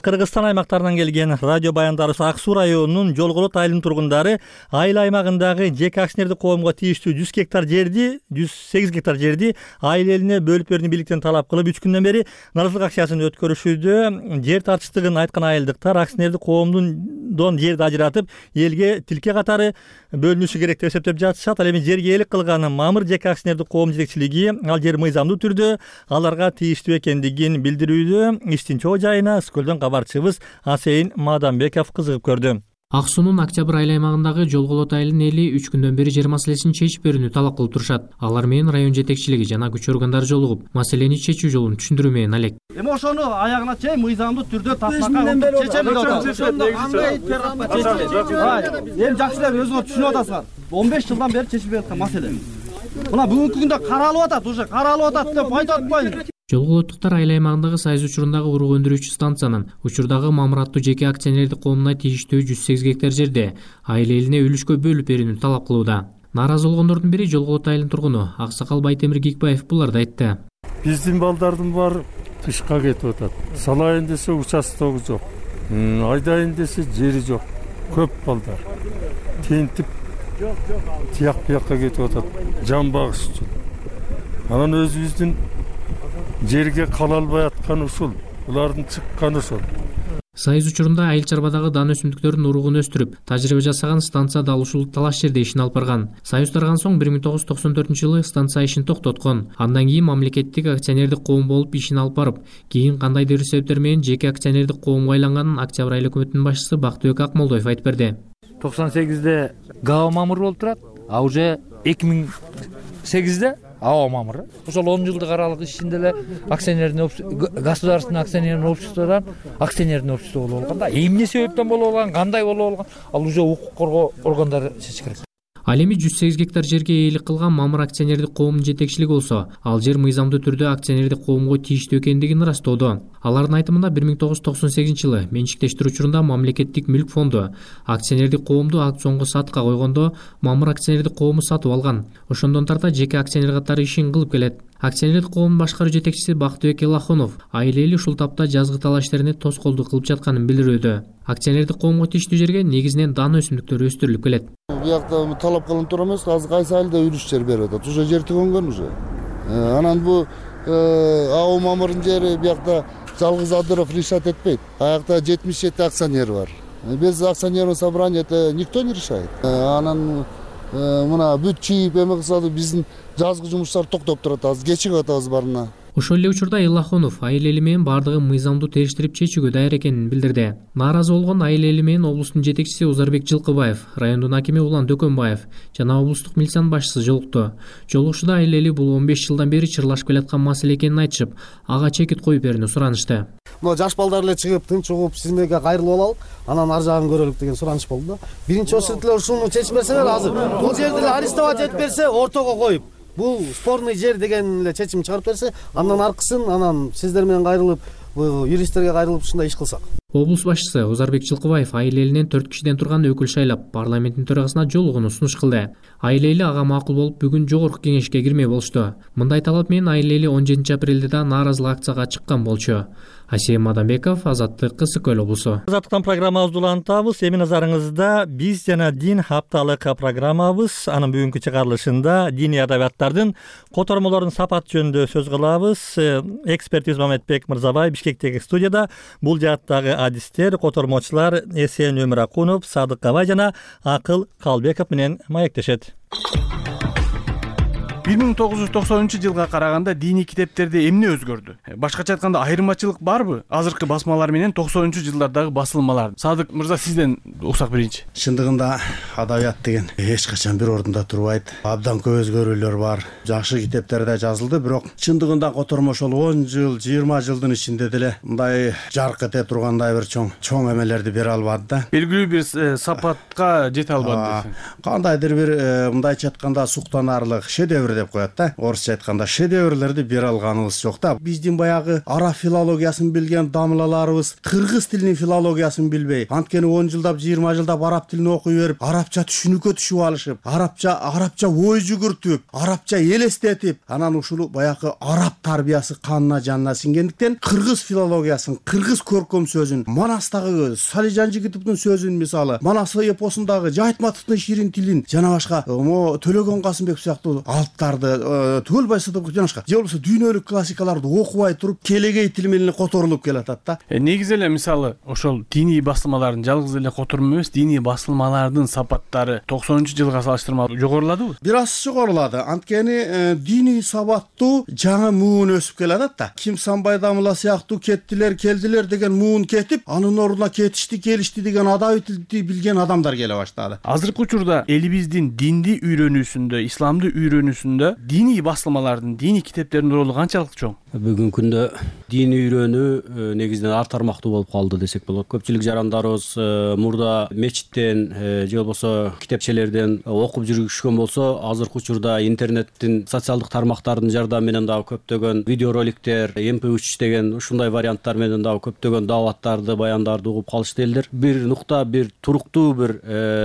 Кыргызстан аймактарынан келген радио баяндарыбыз Ак Суу районунун Жолголот айылынын тургундары айыл аймагындагы жеке акционердик коомго тийиштүү 100 гектар жерди, 108 гектар жерди айыл элине бөлүп берүүнү бийликтен талап кылып 3 күндөн бери нааразылык акциясын өткөрүшүүдө. Жер тартыштыгын айткан айылдыктар акционердик коомдон жерди ажыратып, элге тилке катары бөлүнүшү керек деп эсептеп жатышат. Ал эми жерге ээлик кылган Мамыр жеке акционердик коом жетекчилиги ал жер мыйзамдуу түрдө аларга тийиштүү экендигин билдирүүдө. Иштин чоо жайына Скөлдөн кабарчыбыз Асейин Маданбеков кызыгып көрдү.
Ак суунун Октябрь айыл аймагындагы Жолголот айылынын эли 3 күндөн бери жер маселесин чечип берүүнү талап кылып турушат. Алар менен район жетекчилиги жана күч органдары жолугуп, маселени чечүү жолун түшүндүрүү менен алек.
Эми ошону аягына чейин мыйзамдуу түрдө таптакка чечебиз деп атат. Ошондо кандай терапия чечилет? Эми жакшы эле өзүңөр түшүнүп атасыңар. 15 жылдан бери чечилип жаткан маселе. Мына бүгүнкү күндө каралып атат, уже каралып атат деп айтып атпайбы?
Жолголоттуктар айыл аймагындагы Сайыз учурундагы урук өндүрүүчү станциянын учурдагы Мамыр аттуу жеке акционердик коомуна тийиштүү 108 гектар жерде айыл элине үлүшкө бөлүп берүүнү талап кылууда. Нааразы болгондордун бири Жолголот айылынын тургуну Аксакал Байтемир Гикбаев буларды айтты.
Биздин балдардын баары тышка кетип атат. Салайын десе участогу жок. Айдайын десе жери жок. Көп балдар. Тентип тияк бияка кетип атат. Жан багыш үчүн. Анан өзүбүздүн жерге кала албай аткан ушул, булардын чыкканы ошол.
Сайыз учурунда айыл чарбадагы дан өсүмдүктөрдүн уругун өстүрүп, тажрыйба жасаган станцияда ал ушул талаш жерде ишин алып барган. Союз тараган соң 1994-жылы станция ишин токтоткон. Андан кийин мамлекеттик акционердик коом болуп ишин алып барып, кийин кандайдыр себептер менен жеке акционердик коомго айланганын Октябрь айыл өкмөтүнүн башчысы Бактыбек Акмолдоев айтып берди.
98-де ГАО мамыр болуп турат, а уже 2008-де АО мамыр. Ошол 10 жылдык аралык ичинде эле государственный акционерный обществодан акционерный общество болуп алган да. Эмне себептен болуп алган, кандай болуп алган, ал уже укук коргоо органдары чечиш керек.
Ал эми 108 гектар жерге ээлик кылган мамыр акционердик коомунун жетекчилиги болсо, ал жер мыйзамдуу түрдө акционердик коомго тийиштүү экендигин ырастоодо. Алардын айтымында 1998-жылы менчиктештирүү учурунда мамлекеттик мүлк фонду акционердик коомду аукционго сатка койгондо мамыр акционердик коому сатып алган. Ошондон тарта жеке акционер катары ишин кылып келет. Акционердик коомдун башкаруу жетекчиси Бактыбек Элахонов айыл эли ушул тапта жазгы талаш иштерине тоскоолдук кылып жатканын билдирүүдө. Акционердик коомго тийиштүү жерге негизинен дан өсүмдүктөрү өстүрүлүп келет.
Биякта талап кылынып тур эмес, азыр кайсы айылда үлүш жер берип атат. Уже жер төгөнгөн уже. Анан бу АО мамырдын жери биякта жалгыз Адыров решать этпейт. Аякта 77 акционер бар. Без акционерного собрания это никто не решает. Анан мына бүт чийип эме кылса биздин жазгы жумуштар токтоп турат, азыр кечигип атабыз барына.
Ошол эле учурда Элахонов айыл эли менен бардыгын мыйзамдуу териштирип чечүүгө даяр экенин билдирди. Нааразы болгон айыл эли менен облустун жетекчиси Узарбек Жылкыбаев, райондун акими Улан Дөкөнбаев жана облустук милициянын башчысы жолукту. Жолугушууда айыл эли бул 15 жылдан бери чырлашып келаткан маселе экенин айтышып, ага чекит коюп берүүнү суранышты.
Мына жаш балдар эле чыгып, тынч угуп, сизмеге кайрылып алалык, анан ар жагын көрөлүк деген сураныш болду да. Биринчи очередь ушуну чечип берсеңер азыр. Бул жерди арестовать этип берсе, ортого коюп, бул спорный жер деген эле чечим чыгарып берсе, андан аркысын анан сиздер менен кайрылып, юристтерге кайрылып ушундай иш кылсак.
Облус башчысы Узарбек Жылкыбаев айыл элинен 4 кишиден турган өкүл шайлап, парламенттин төрагасына жолугууну сунуш кылды. Айыл эли ага макул болуп, бүгүн жогорку кеңешке кирмей болушту. Мындай талап менен айыл эли 17 апрелде да нааразылык акцияга чыккан болчу. Асем Мадамбеков, Азаттык, Кысык Көл облусу.
Азаттыктан программабызды улантабыз. Эми назарыңызда биз жана дин хапталык программабыз. Анын бүгүнкү чыгарылышында диний адабияттардын котормолорунун сапаты жөнүндө сөз кылабыз. Эксперт Мамедбек Мырзабай Бишкектеги студияда. Бул жааттагы адистер, котормочулар Эсен Өмүракунов, Садык Кабай жана Акыл Калбеков менен маектешет.
1990-жылга караганда диний китептерде эмне өзгөрдү? Башкача айтканда айырмачылык барбы? Азыркы басмалар менен 90-жылдардагы басылмалар. Садык мырза, сизден уксак берейинчи.
Чындыгында адабият деген эч качан бир ордунда турбайт. Абдан көп өзгөрүүлөр бар. Жакшы китептерде жазылды, бирок чындыгында котормо ошол 10 жыл, 20 жылдын ичинде деле мындай жарк эте тургандай бир чоң эмелерди бере албады да.
Белгилүү бир сапатка жете албады.
Кандайдыр бир мындайча айтканда суктанарлык шедевр деп коет да. Орусча айтканда шедеврлерди бере алганыбыз жок да. Биздин баягы араб филологиясын билген дамлаларыбыз кыргыз тилинин филологиясын билбей, анткени 10 жылдап, 20 жылдап араб тилин окуй берип, арабча түшүнүккө түшүп алышып, арабча ой жүгүртүп, арабча элестетип, анан ушул баягы араб тарбиясы канына жанына сиңгендиктен кыргыз филологиясын, кыргыз көркөм сөзүн, Манастагы Салижан Жигитовдун сөзүн мисалы, Манас эпосундагы Жайтматовдун ширин тилин жана башка Төлөгөн Касымбек сыяктуу түгөл байсатып жана башка же болбосо дүйнөлүк классикаларды окубай туруп келегей тил менен которулуп келатат да.
Негизи эле мисалы ошол диний басылмалардын жалгыз эле котормо эмес, диний басылмалардын сапаттары 90-жылга салыштырмалуу жогоруладыбы?
Бир аз жогорулады. Анткени диний сабаттуу жаңы муун өсүп келатат да. Ким Санбай Дамыла сыяктуу келдилер деген муун кетип, анын ордуна келишти деген адабий тилди билген адамдар келе баштады.
Азыркы учурда элибиздин динди үйрөнүүсүндө, исламды үйрөнүүсүндө диний басылмалардын, диний китептердин ролу канчалык чоң?
Бүгүнкү күндө диний үйрөнүү негизинен ар тармактуу болуп калды десек болот. Көпчүлүк жарандарыбыз мурда мечиттен же болбосо китепчелерден окуп жүрүшкөн болсо, азыркы учурда интернеттин социалдык тармактардын жардамы менен дагы көптөгөн видеороликтер, MP3 деген ушундай варианттар менен дагы көптөгөн дааваттарды, баяндарды угуп калышты элдер. Бир нукта, бир туруктуу бир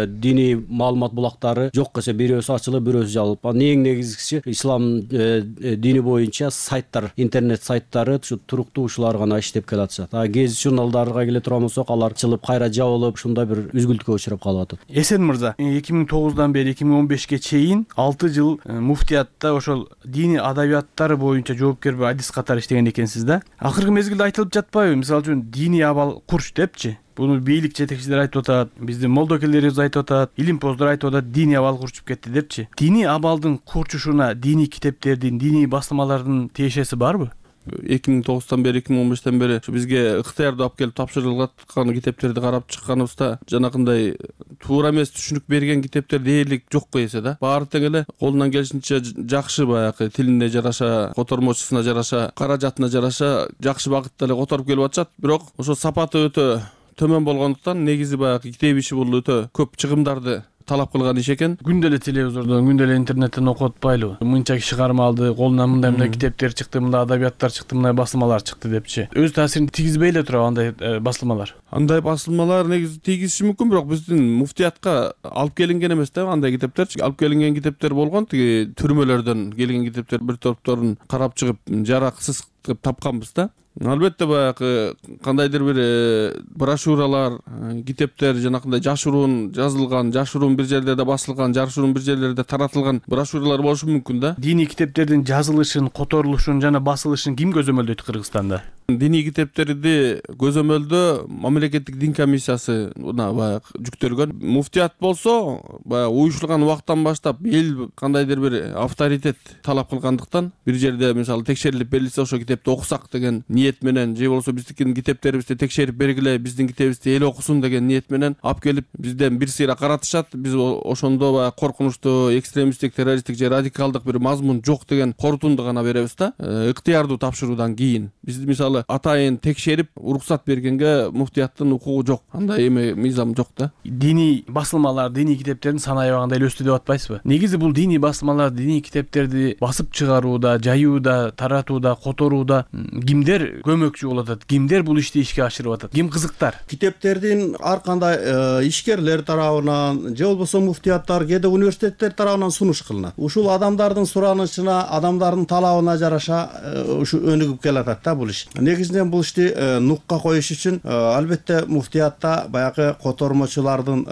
диний маалымат булактары жок эсе бирөөсү ачылып, бирөөсү жабылып. Эң негизгиси негизгиси ислам дини боюнча сайттар, интернет сайттары ушу туруктуу ушулар гана иштеп келатышат. Гезит журналдарга келе турган болсок, алар чылып кайра жабылып, ушундай бир үзгүлтүккө учурап калып атат.
Эсен мырза, 2009 бери 2015 чейин 6 жыл муфтиятта ошол диний адабияттар боюнча жоопкер адис катары иштеген экенсиз да. Акыркы мезгилде айтылып жатпайбы? Мисалы үчүн диний абал курч депчи. Буну бийлик жетекчилер айтып атат, биздин молдокелерибиз айтып атат, илимпоздор айтып атат, диний абал курчуп кетти депчи. Диний абалдын курчушуна диний китептердин, диний басылмалардын тиешеси барбы?
2009 бери 2015 бери бизге ыктыярды алып келип тапшырылган китептерди карап чыкканыбызда жанакындай туура эмес түшүнүк берген китептер дээрлик жокко эсе да. Баары тең эле колунан келишинче жакшы баягы тилине жараша, котормочусуна жараша, каражатына жараша жакшы багытта эле которуп келип атышат. Бирок ошо сапаты өтө төмөн болгондуктан негизи баягы китеп иши бул өтө көп чыгымдарды талап кылган иш экен.
Күндө эле телевизордон, күндө эле интернеттен окуп атпайлыбы? Мынча киши карма алды, колунан мындай китептер чыкты, мындай адабияттар чыкты, мындай басылмалар чыкты депчи. Өз таасирин тийгизбей эле турабы андай басылмалар?
Андай басылмалар негизи тийгизиши мүмкүн, бирок биздин муфтиятка алып келинген эмес да андай китептерчи. Алып келинген китептер болгон, тиги түрмөлөрдөн келген китептер бир топторун карап чыгып, жараксыз кылып тапканбыз да. Албетте баягы кандайдыр бир брошюралар, китептер жанакындай жашыруун жазылган, жашыруун бир жерлерде басылган, жашыруун бир жерлерде таратылган брошюралар болушу мүмкүн да.
Диний китептердин жазылышын, которулушун жана басылышын ким көзөмөлдөйт Кыргызстанда?
Диний китептерди көзөмөлдөө мамлекеттик дин комиссиясы баягы жүктөлгөн. Муфтият болсо баягы уюшулган убактан баштап эл кандайдыр бир авторитет талап кылгандыктан бир жерде мисалы текшерилип берилсе ошо китепти окусак деген ниет менен, же болбосо биздикин китептерибизди текшерип бергиле, биздин китебибизди эл окусун деген ниет менен алып келип бизден бир сыйра каратышат. Биз ошондо баягы коркунучтуу, экстремисттик, террористтик же радикалдык бир мазмун жок деген корутунду гана беребиз да. Ыктыярдуу тапшыруудан кийин биз мисалы атайын текшерип уруксат бергенге муфтияттын укугу жок. Андай эме мыйзам жок да.
Диний басылмалар, диний китептердин саны аябагында эле өстү деп атпайсызбы? Негизи бул диний басылмалар, диний китептерди басып чыгарууда, жаюуда, таратууда, которууда кимдер көмөкчү болуп атат? Кимдер бул ишти ишке ашырып атат? Ким кызыктар?
Китептердин ар кандай ишкерлер тарабынан же болбосо муфтияттар, кээде университеттер тарабынан сунуш кылынат. Ушул адамдардын суранычына, адамдардын талабына жараша ушу өнүгүп келатат да бул иш. Негизинен бул ишти нукка коюш үчүн албетте муфтиятта баягы котормочулардын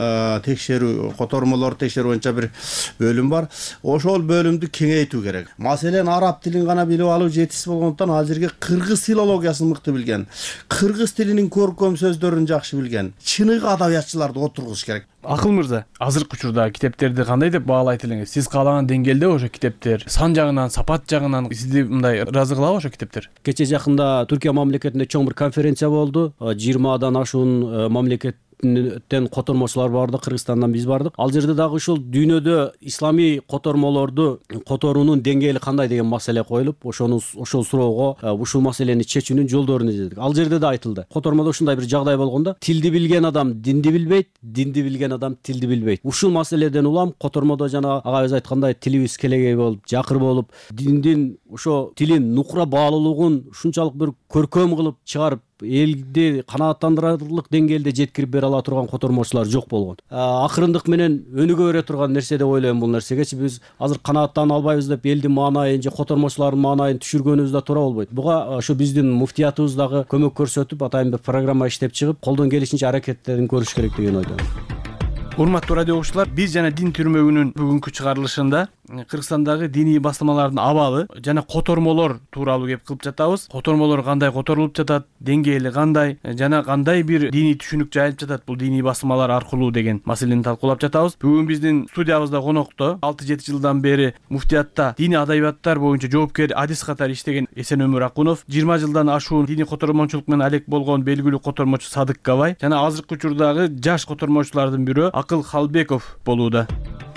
текшерүү, котормолор текшерүү боюнча бир бөлүм бар. Ошол бөлүмдү кеңейтүү керек. Маселен араб тилин гана билип алуу жетишсиз болгондуктан ал жерге кыргыз филологиясын мыкты билген, кыргыз тилинин көркөм сөздөрүн жакшы билген чыныгы адабиятчыларды отургуш керек.
Акыл мырза, азыркы учурда китептерди кандай деп баалайт элеңиз? Сиз каалаган деңгээлде ошо китептер сан жагынан, сапат жагынан сизди мындай ыраазы кылабы ошо китептер?
Кече жакында Түркия мамлекетинде чоң бир конференция болду. 20 ашуун мамлекеттен котормочулар барды, Кыргызстандан биз бардык. Ал жерде дагы ушул дүйнөдө исламий котормолорду которуунун деңгээли кандай деген маселе коюлуп, ошол суроого ушул маселени чечүүнүн жолдорун издедик. Ал жерде да айтылды. Котормодо ушундай бир жагдай болгондо, тилди билген адам динди билбейт, динди билген адам тилди билбейт. Ушул маселеден улам котормодо жана агайыбыз айткандай тилибиз келегей болуп, жакыр болуп, диндин ошо тилин нукура баалуулугун ушунчалык бир көркөм кылып чыгарып элди канааттандырарлык деңгээлде жеткирип бере ала турган котормочулар жок болгон. Акырындык менен өнүгө бере турган нерсе деп ойлойм бул нерсегечи. Биз азыр канааттана албайбыз деп элдин маанайын же котормочулардын маанайын түшүргөнүбүз да туура болбойт. Буга ошо биздин муфтиятыбыз дагы көмөк көрсөтүп, атайын бир программа иштеп чыгып, колдон келишинче аракеттерин көрүш керек деген ойдомун.
Урматтуу радио угуучулар, биз жана Дин түрмөгүнүн бүгүнкү чыгарылышында Кыргызстандагы диний басылмалардын абалы жана котормолор тууралуу кеп кылып жатабыз. Котормолор кандай которулуп жатат, деңгээли кандай жана кандай бир диний түшүнүк жайылып жатат бул диний басылмалар аркылуу деген маселени талкуулап жатабыз. Бүгүн биздин студиябызда конокто 6-7 жылдан бери муфтиятта диний адабияттар боюнча жоопкер адис катары иштеген Эсенөмүр Акунов, 20 жылдан ашуун диний котормочулук менен алек болгон белгилүү котормочу Садык Габай жана азыркы учурдагы жаш котормочулардын бирөө Акыл Халбеков болууда.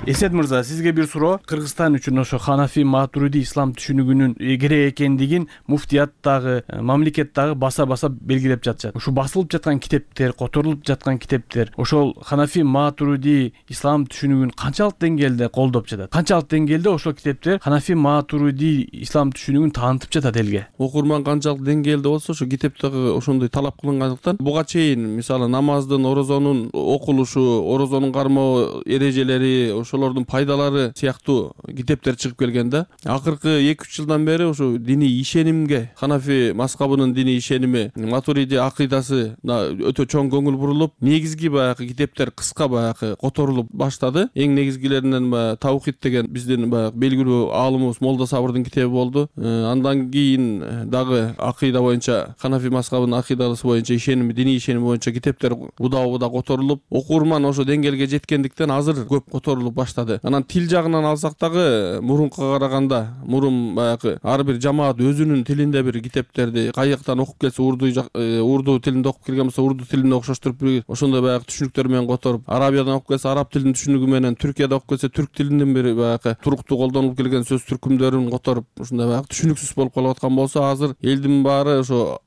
Эсет мырза, сизге бир суроо. Кыргызстан үчүн ошо Ханафи Матуриди ислам түшүнүгүнүн керек экендигин муфтияттагы, мамлекеттагы баса-баса белгилеп жатышат. Ушу басылып жаткан китептер, которулуп жаткан китептер ошол Ханафи Матуриди ислам түшүнүгүн канчалык деңгээлде колдоп жатат? Канчалык деңгээлде ошол китептер Ханафи Матуриди ислам түшүнүгүн таанытып жатат элге?
Окурман канчалык деңгээлде болсо, ошо китептеги ошондой талап кылынгандыктан буга чейин мисалы намаздын, орозонун окулушу, орозонун кармоо эрежелери, ошо ошолордун пайдалары сыяктуу китептер чыгып келген да. Акыркы 2-3 жылдан бери ушу диний ишенимге, Ханафи мазхабынын диний ишеними, Матуриди акыйдасы өтө чоң көңүл бурулуп, негизги баягы китептер кыска баягы которулуп баштады. Эң негизгилеринен Таухид деген биздин баягы белгилүү аалымыбыз Молда Сабырдын китеби болду. Андан кийин дагы акыйда боюнча Ханафи мазхабынын акыйдасы боюнча ишеними, диний ишеними боюнча китептер удаа которулуп, окурман ошо деңгээлге жеткендиктен азыр көп которулуп баштады. Анан тил жагынан алсак дагы мурункуга караганда, мурун баягы ар бир жамаат өзүнүн тилинде бир китептерди каяктан окуп келсе, урду тилинде окуп келген болсо урду тилинде окшоштуруп, ошондой баягы түшүнүктөр менен которуп, арабиядан окуп келсе араб тилинин түшүнүгү менен, Түркияда окуп келсе түрк тилинин бир баягы туруктуу колдонулуп келген сөз түркүмдөрүн которуп, ушундай баягы түшүнүксүз болуп калып аткан болсо, азыр элдин баары ошо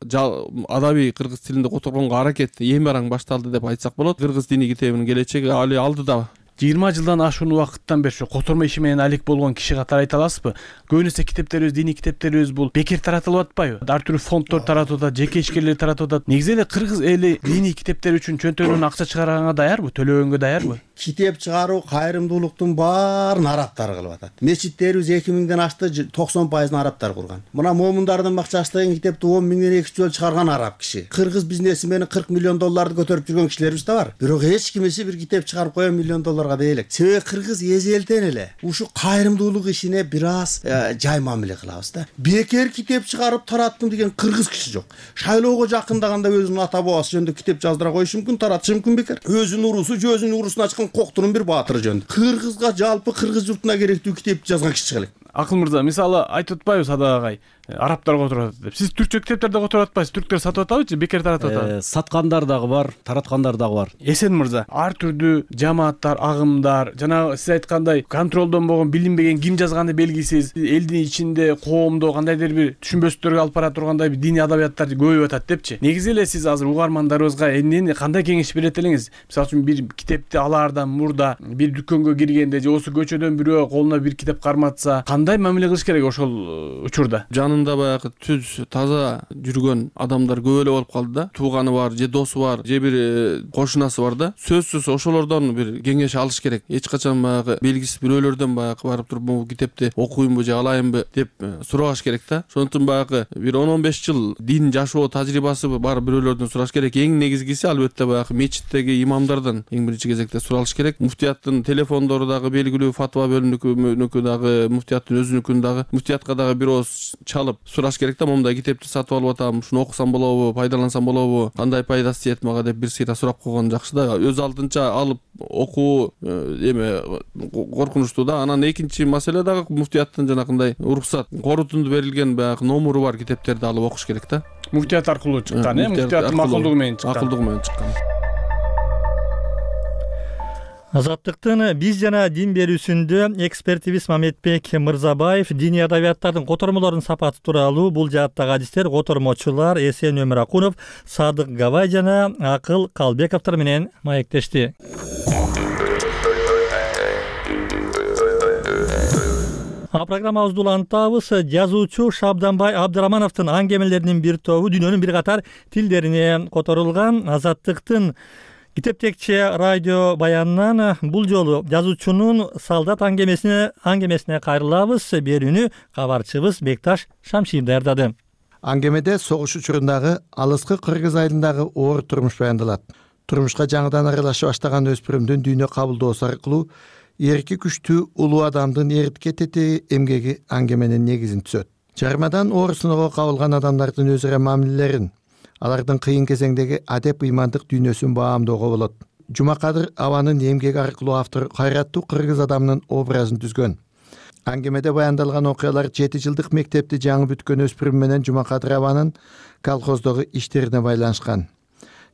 адабий кыргыз тилинде которгонго аракет эми араң башталды деп айтсак болот. Кыргыз диний китебинин келечеги али алдыда.
20 жылдан ашуун убакыттан бери ушу котормо иши менен алек болгон киши катары айта аласызбы? Көбүнесе китептерибиз, диний китептерибиз бул бекер таратылып атпайбы? Ар түрдүү фонддор таратып атат, жеке ишкерлер таратып атат. Негизи эле кыргыз эли диний китептер үчүн чөнтөгүнөн акча чыгарганга даярбы? Төлөгөнгө даярбы?
Китеп чыгаруу кайрымдуулуктун баарын арабтар кылып атат. Мечиттерибиз 2000ден ашты, 90% арабтар курган. Мына момундардын бакчасы деген китепти 10 миңден 2 жол чыгарган араб киши. Кыргыз бизнеси менен 40 миллион долларды көтөрүп жүргөн кишилерибиз да бар. Бирок эч кимиси бир китеп чыгарып коё миллион долларга дей элек. Себеби кыргыз эзелтен эле ушу кайрымдуулук ишине бир аз жай мамиле кылабыз да. Бекер китеп чыгарып тараттым деген кыргыз киши жок. Шайлоого жакындаганда өзүнүн ата бабасы жөнүндө китеп жаздыра коюшу мүмкүн, таратышы мүмкүн бекер. Өзүнүн урусу, өзүнүн урусун ачкан коктурун бир баатыры жөнүндө. Кыргызга жалпы кыргыз журтуна керектүү китепти жазган киши чыга элек.
Акыл мырза, мисалы айтып атпайбыз Садак агай, арабтар которуп атат деп. Сиз түркчө китептерди которуп атпайсыз, түрктөр сатып атабы же бекер таратып атабы?
Саткандар дагы бар, тараткандар дагы бар.
Эсен мырза, ар түрдүү жамааттар, агымдар, жана сиз айткандай контролдонбогон, билинбеген, ким жазганы белгисиз, элдин ичинде, коомдо кандайдыр бир түшүнбөстүктөргө алып бара тургандай бир диний адабияттар көбөйүп атат депчи. Негизи эле сиз азыр угармандарыбызга эмнени кандай кеңеш берет элеңиз? Мисалы үчүн бир китепти алаардан мурда бир дүкөнгө киргенде же болбосо көчөдөн бирөө колуна бир китеп карматса, кандай мамиле кылыш керек ошол учурда?
Жанында баягы түз таза жүргөн адамдар көп эле болуп калды да. Тууганы бар, же досу бар, же бир кошунасы бар да. Сөзсүз ошолордон бир кеңеш алыш керек. Эч качан баягы белгисиз бирөөлөрдөн баягы барып туруп бул китепти окуймбу же алайынбы деп сурабаш керек да. Ошондуктан баягы бир 10-15 жыл дин жашоо тажрыйбасы бар бирөөлөрдөн сураш керек. Эң негизгиси албетте баягы мечиттеги имамдардан эң биринчи кезекте суралыш керек. Муфтияттын телефондору дагы белгилүү, фатва бөлүмүнүкү дагы, муфтияттын өзүнүкүн дагы, муфтиятка дагы бир ооз чалып сураш керек да. Момундай китепти сатып алып атам, ушуну окусам болобу, пайдалансам болобу, кандай пайдасы тиет мага деп бир сыйра сурап койгон жакшы да. Өз алдынча алып окуу коркунучтуу да. Анан экинчи маселе дагы муфтияттын жанакындай уруксат, корутунду берилген баягы номуру бар китептерди алып окуш керек да.
Муфтият аркылуу чыккан, муфтияттын макулдугу менен чыккан.
Макулдугу менен чыккан.
Азаттыктын биз жана дин берүүсүндө экспертибиз Мамедбек Мырзабаев диний адабияттардын котормолорунун сапаты тууралуу бул жааттагы адистер котормочулар Эсен Өмүракунов, Садык Габай жана Акыл Калбековдор менен маектешти. Программабызды улантабыз. Жазуучу Шабданбай Абдырамановдун аңгемелеринин бир тобу дүйнөнүн бир катар тилдерине которулган. Азаттыктын китептекче радио баянынан бул жолу жазуучунун Салдат аңгемесине кайрылабыз. Берүүнү кабарчыбыз Бекташ Шамшир даярдады.
Аңгемеде согуш учурундагы алыскы Кыргыз айылындагы оор турмуш баяндалат. Турмушка жаңыдан аралаша баштаган өспүрүмдүн дүйнө кабылдоосу аркылуу эрки күчтүү улуу адамдын эритке тетеги эмгеги аңгеменин негизин түзөт. Жарымадан оор сыноого кабылган адамдардын өз ара мамилелерин, алардын кыйын кезеңдеги адеп ыймандык дүйнөсүн баамдоого болот. Жумакадыр Абанын эмгеги аркылуу автор кайраттуу кыргыз адамынын образын түзгөн. Аңгемеде баяндалган окуялар 7 жылдык мектепти жаңы бүткөн өспүрүм менен Жумакадыр Абанын колхоздогу иштерине байланышкан.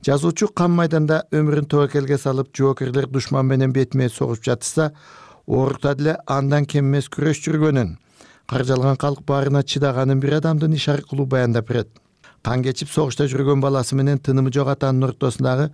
Жазуучу кам майданда өмүрүн тобокелге салып, жоокерлер душман менен бетме согушуп жатышса, оорукта деле андан кем эмес күрөш жүргөнүн, каржалган калк баарына чыдаганын бир адамдын иш аркылуу баяндап берет. Кан кечип согушта жүргөн баласы менен тынымы жок атанын ортосундагы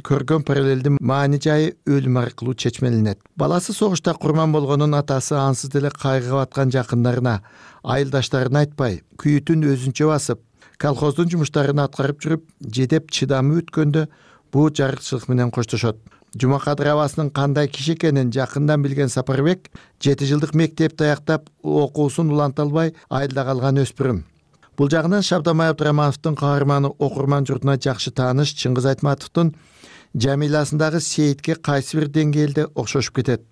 көргөн параллелдин маани жайы өлүм аркылуу чечмеленет. Баласы согушта курман болгонун атасы ансыз деле кайгыга баткан жакындарына, айылдаштарына айтпай, күйүтүн өзүнчө басып, колхоздун жумуштарын аткарып жүрүп, жедеп чыдамы өткөндө бул жарыкчылык менен коштошот. Жумакадыр абасынын кандай киши экенин жакындан билген Сапарбек 7 жылдык мектепти аяктап окуусун уланта албай айылда калган өспүрүм. Бул жагынан Шабдамай Абдырамановдун каарманы окурман журтуна жакшы тааныш Чыңгыз Айтматовдун жамиласындагы Сейитке кайсы бир деңгээлде окшошуп кетет.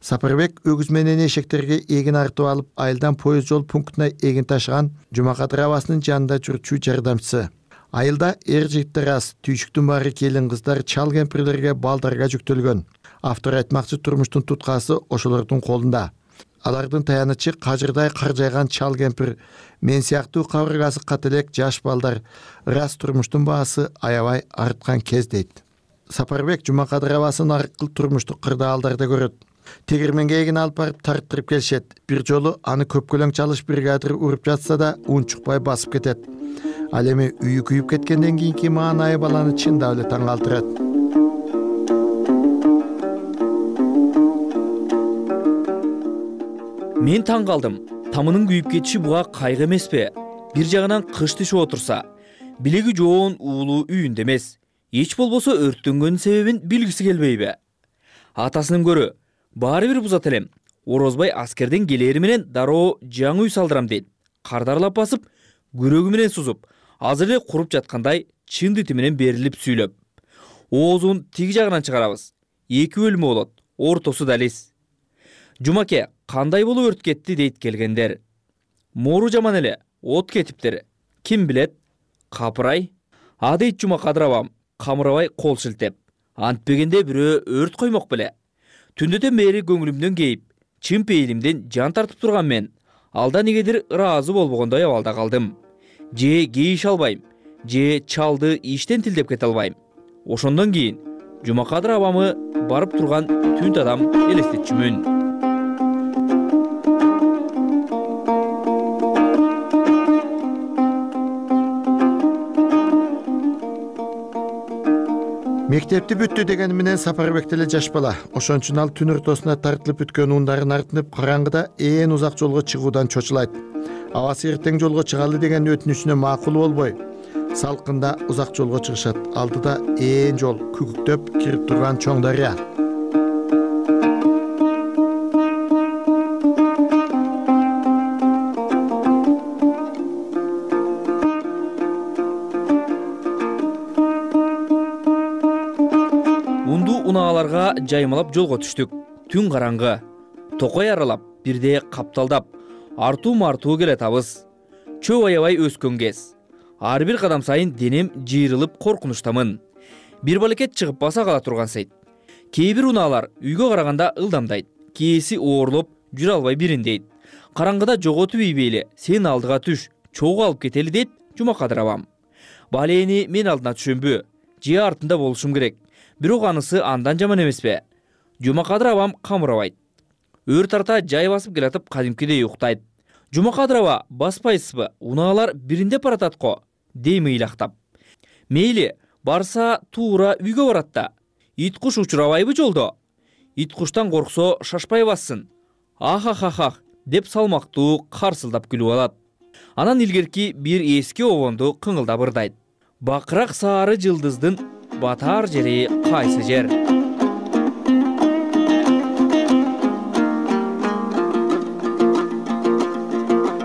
Сапарбек өгүз менен эшектерге эгин артып алып, айылдан поезд жол пунктуна эгин ташыган Жумакадыр абасынын жанында жүрчү жардамчысы. Айылда эр жигиттер аз, түйшүктүн баары келин кыздар, чал кемпирлерге, балдарга жүктөлгөн. Автор айтмакчы турмуштун туткасы ошолордун колунда. Алардын таянычы кажырдай каржайган чал кемпир, мен сыяктуу кабыргасы кателек жаш балдар, ырас турмуштун баасы аябай арткан кез дейт. Сапарбек Жумакадыр абасын ар кыл турмуштук кырдаалдарда көрөт. Тегирменге эгин алып барып тарттырып келишет. Бир жолу аны көпкөлөң чалыш бригадир уруп жатса да унчукпай басып кетет. Ал эми үйү күйүп кеткенден кийинки маанайы баланы чындап эле таң калтырат.
Мен таң калдым. Тамынын күйүп кетиши буга кайгы эмеспи? Бир жагынан кыш түшүп отурса, билеги жоон уулу үйүндө эмес. Эч болбосо өрттөнгөн себебин билгиси келбейби? Атасынын көрү, баары бир бузат элем. Орозбай аскерден келери менен дароо жаңы үй салдырам дейт. Кардарлап басып, күрөгү менен сузуп, азыр эле куруп жаткандай чындыты менен берилип сүйлөп. Оозун тиги жагынан чыгарабыз. 2 бөлмө болот, ортосу далис. Жумаке, кандай болуп өрт кетти дейт келгендер. Мору жаман эле, от кетиптир. Ким билет? Капырай. А дейт Жумакадыр абам, камырабай кол шилтеп. Антпегенде бирөө өрт коймок беле. Түндөтөн бери көңүлүмдөн кейип, чын пейилимден жан тартып турган мен. Алда негедир ыраазы болбогондой абалда калдым. Же кейиш албайм, же чалды иштен тилдеп кете албайм. Ошондон кийин Жумакадыр абамы барып турган түнт адам элестетчүмүн.
Мектепти бүттү деген менен Сапарбек деле жаш бала. Ошон үчүн ал түн ортосуна тартылып бүткөн ундарын артынып караңгыда ээн узак жолго чыгуудан чочулайт. Абасы эртең жолго чыгалы деген өтүнүчүнө макул болбой, салкында узак жолго чыгышат. Алдыда ээн жол, күгүктөп кирип турган чоң дарыя.
Унааларга жаймалап жолго түштүк. Түн караңгы. Токой аралап, бирде капталдап, артуу-мартуу келатабыз. Чөө аябай өскөн кез. Ар бир кадам сайын денем жыйрылып коркунучтамын. Бир балекет чыгып баса кала турган сейт. Кээ бир унаалар үйгө караганда ылдамдайт. Кээси оорлоп, жүрө албай бириндейт. Караңгыда жоготуп ийбейли, сен алдыга түш, чоого алып кетели дейт Жумакадыр абам. Балени мен алдына түшөмбү? Же артында болушум керек. Бирок анысы андан жаман эмеспи? Жумакадыр абам камырабайт. Өр тарта жай басып келатып кадимкидей уктайт. Жумакадыр аба баспайсызбы? Унаалар биринде барататко, дейм ыйлактап. Мейли, барса туура үйгө барат да. Ит куш учурабайбы жолдо? Ит куштан корксо шашпай бассын. Ахахахах деп салмактуу карсылдап күлүп алат. Анан илгерки бир эски обонду кыңылдап ырдайт. Бакырак саары жылдыздын батар жери кайсы жер?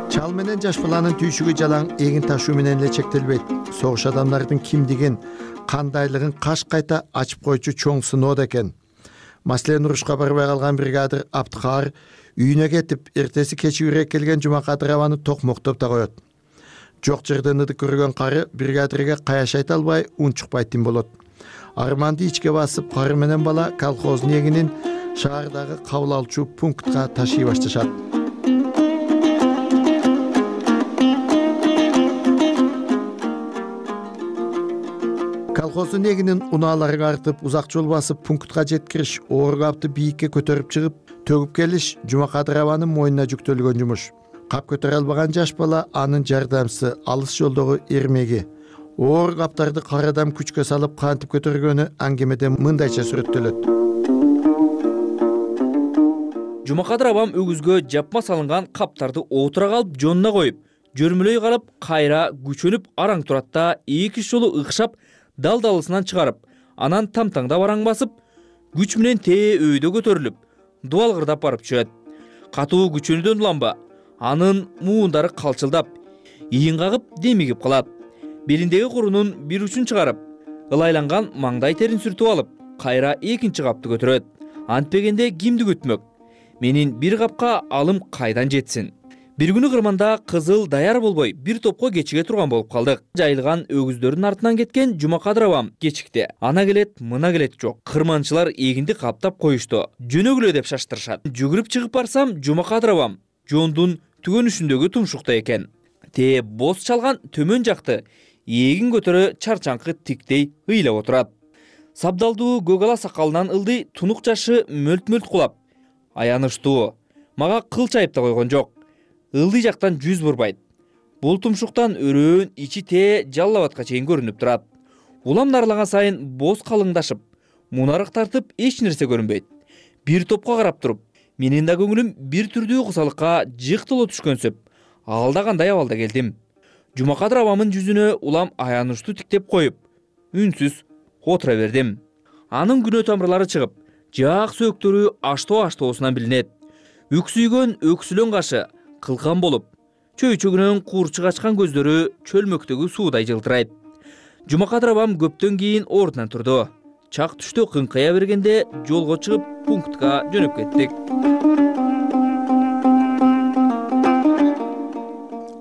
Чал менен жаш баланын түйшүгү жалаң эгин ташуу менен эле чектелбейт. Согуш адамдардын кимдигин, кандайлыгын каш кайта ачып койчу чоң сыноо экен. Маселен, урушка барбай калган бригадир Абдыкаар үйүнө кетип, эртеси кечи үрек келген Жумакадыр абаны токмоктоп да коет. Жок жерден ыдык көргөн кары бригадирге каяш айта албай, унчукпай тим болот. Арманды ичке басып, кары менен бала колхоздун эгинин шаардагы кабыл алчу пунктка ташый башташат. Колхоздун эгинин унааларга артып, узак жол басып пунктка жеткириш, оор капты бийикке көтөрүп чыгып, төгүп келиш Жумакадыр абанын мойнуна жүктөлгөн жумуш. Кап көтөрө албаган жаш бала анын жардамчысы, алыс жолдогу эрмеги. Оор каптарды карадам күчкө салып кантип көтөргөнү аңгемеде мындайча сүрөттөлөт.
Жумакадыр абам өгүзгө жапма салынган каптарды отура калып жонуна коюп, жөрмөлөй карап кайра күчөнүп араң турат да 2 жолу ыкшап дал-далысынан чыгарып, анан тамтаңдап араң басып, күч менен тээ өйдө көтөрүлүп дубалгырдап барып түшөт. Катуу күчөнүүдөн уланба анын муундары калчылдап, ийин кагып демигип калат. Белиндеги курунун бир учун чыгарып, ылайланган маңдай терин сүртүп алып, кайра экинчи капты көтөрөт. Антпегенде кимди күтмөк? Менин бир капка алым кайдан жетсин? Бир күнү кырманда кызыл даяр болбой бир топко кечиге турган болуп калдык. Жайылган өгүздөрдүн артынан кеткен Жумакадыр абам кечикти. Ана келет, мына келет жок. Кырманчылар эгинди каптап коюшту. Жөнөгүлө деп шаштырышат. Жүгүрүп чыгып барсам, Жумакадыр абам жондун түгөнүшүндөгү тумшукта экен. Тээ боз чалган төмөн жакты эгин көтөрө чарчаңкы тиктей ыйлап отурат. Сабдалдуу көк ала сакалынан ылдый тунук жашы мөлт-мөлт кулап. Аянычтуу. Мага кылч айып да койгон жок. Ылдый жактан жүз бурбайт. Бул тумшуктан өрөөн ичи тээ жаллабатка чейин көрүнүп турат. Улам нарлаган сайын боз калыңдашып, мунарык тартып эч нерсе көрүнбөйт. Бир топко карап туруп, менин да көңүлүм бир түрдүү кусалыкка жыктыло түшкөнсөп, алдагандай абалда келдим. Жумакадыр абамын жүзүнө улам аянычтуу тиктеп коюп, үнсүз отура бердим. Анын күнөө тамырлары чыгып, жаак сөөктөрү аштоо-аштоосунан билинет. Үксүйгөн өксүлөн кашы кылкан болуп, чөйчөгүнөн куурчук ачкан көздөрү чөлмөктөгү суудай жылтырайт. Жумакадыр абам көптөн кийин ордунан турду. Чак түштө кыңкая бергенде жолго чыгып пунктка жөнөп кеттик.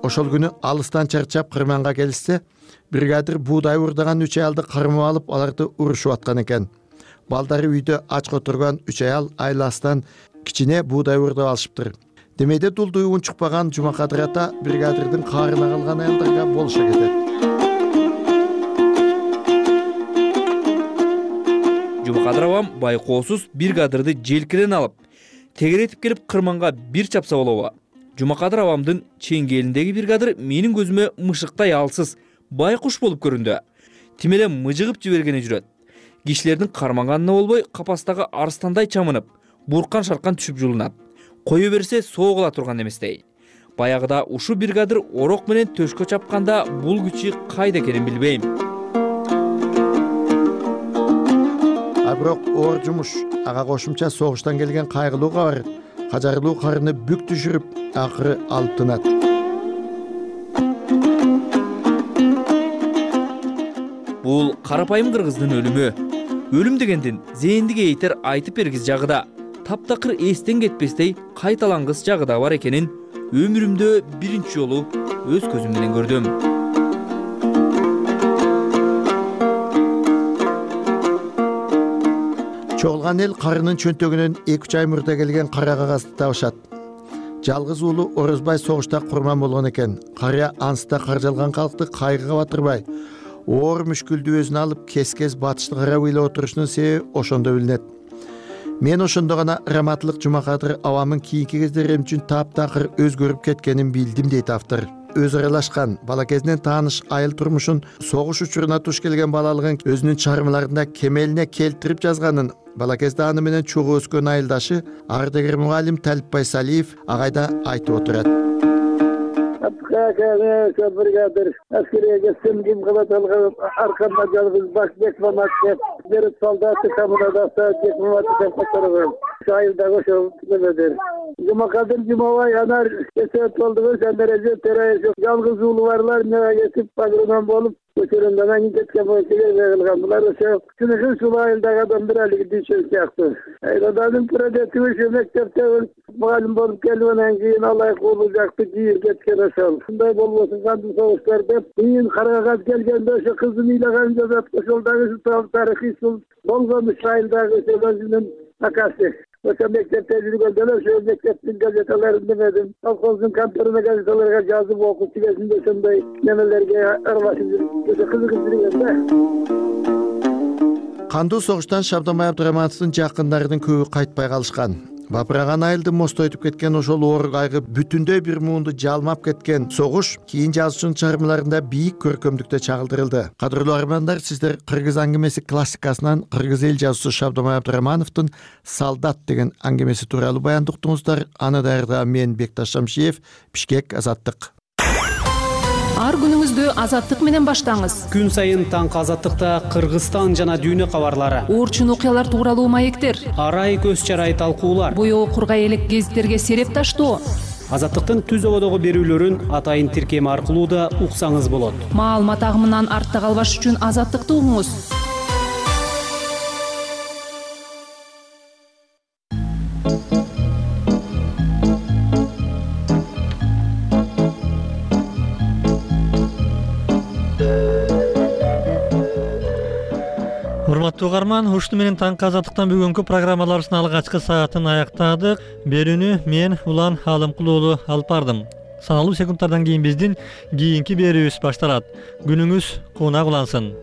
Ошол күнү алыстан чарчап кырманга келишсе, бригадир буудай урдаган 3 аялды кармап алып, аларды урушуп аткан экен. Балдары үйдө ач отурган 3 аял айластан кичине буудай урдап алышыптыр. Демейде дулду уун чукпаган Жумакадыр ата бригадирдин каарына калган аялдарга болуша кетет.
Жумакадыр абам байкоосуз бригадирди желкеден алып, тегеретип келип кырманга бир чапса болобу. Жумакадыр абамдын чеңгелиндеги бригадир менин көзүмө мышыктай алсыз, байкуш болуп көрүндү. Тим эле мыжыгып жибергени жүрөт. Кишилердин карманганына болбой, капастагы арстандай чамынып, буркан шаркан түшүп жулунат. Кое берсе согула турган эместей. Баягыда ушу бригадир орок менен төшкө чапканда бул күчү кайда экенин билбейм.
Бирок оор жумуш, ага кошумча согуштан келген кайгылуу кабар, кажарылуу карыны бүк түшүрүп, акыры алып тынат.
Бул карапайым кыргыздын өлүмү. Өлүм дегендин зээндиге эйтер айтып бергиз жагыда, таптакыр эстен кетпестей кайталангыс жагыда бар экенин өмүрүмдө биринчи жолу өз көзүм менен көрдүм.
Чогулган эл карынын чөнтөгүнөн 2-3 ай мурда келген кара кагазды табышат. Жалгыз уулу Орозбай согушта курман болгон экен. Карыя анста каржалган калкты кайгыга батырбай, оор мүшкүлдү өзүнө алып кес-кес батышты карап ыйлап отурушунун себеби ошондо билинет. Мен ошондо гана Раматылык Жумакадыр абамын кийинки кездерим үчүн таптакыр өзгөрүп кеткенин билдим дейт автор. Өз аралашкан, бала кезинен тааныш айыл турмушун, согуш учуруна туш келген балалыгын өзүнүн чармаларында кемелине келтирип жазганын, бала кезде аны менен чогуу өскөн айылдашы ардагер мугалим Талипбай Салиев агайда айтып отурат.
Бригадир аскерге кетсем ким кылат алган аркамда жалгыз баш Бекмамат деп берип солдаты коммунадасы Бекмамат деп которгон. Айылдагы ошол немедер. Жумакадыр Жумабай анар кесе толдугу сендереже терайып жалгыз уулу барлар мага кетип пагронон болуп көчөрөндөн анын кеткен боюнча кылган. Булар ошо күнүгүн сулуу айылдагы адамдар алиги дүйшөн сыяктуу. Айладанын продукты ошо мектепте мугалим болуп келгенден кийин алайык уулу жакты жийип кеткен ошол. Мындай болбосун кантип согуштар деп кийин карагат келгенде ошо кызын ыйлаган жазат ошол дагы тарыхый болгон айылдагы өзүнүн акасы. Ошо мектепте жүргөндө ошо мектептин газеталарын демедим. Колхоздун конторуна газеталарга жазып окуучу кезинде ошондой немелерге аралашып жүрүп кызыгып жүргөн да.
Кандуу согуштан Шабдамай Абдырамановдун жакындарынын көбү кайтпай калышкан. Бапыраган айылды мостойтуп кеткен ошол оор кайгы бүтүндөй бир муунду жалмап кеткен согуш кийин жазуучунун чыгармаларында бийик көркөмдүктө чагылдырылды. Кадырлуу армандар, сиздер кыргыз аңгемеси классикасынан кыргыз эл жазуучусу Шабдамай Абдырамановдун «Солдат» деген аңгемеси тууралуу баяндап уктуңуздар. Аны даярдаган мен Бекташ Шамшиев, Бишкек, Азаттык.
Ар күнүңүздү азаттык менен баштаңыз.
Күн сайын таңкы азаттыкта Кыргызстан жана дүйнө кабарлары,
Орчун окуялар тууралуу маектер,
арай көз чарай талкуулар,
боёо кургай элек гезиттерге сереп таштоо.
Азаттыктын түз ободогу берүүлөрүн атайын тиркем аркылуу да уксаңыз болот.
Маалымат агымынан артта калбаш үчүн азаттыкты угуңуз.
Урматтуу угарман, ушуну менен таңкы азаттыктан бүгүнкү программаларыбыздын алгачкы саатын аяктадык. Берүүнү мен Улан Алымкул уулу алып бардым. Саналуу секундтардан кийин биздин кийинки берүүбүз башталат. Күнүңүз куунак улансын.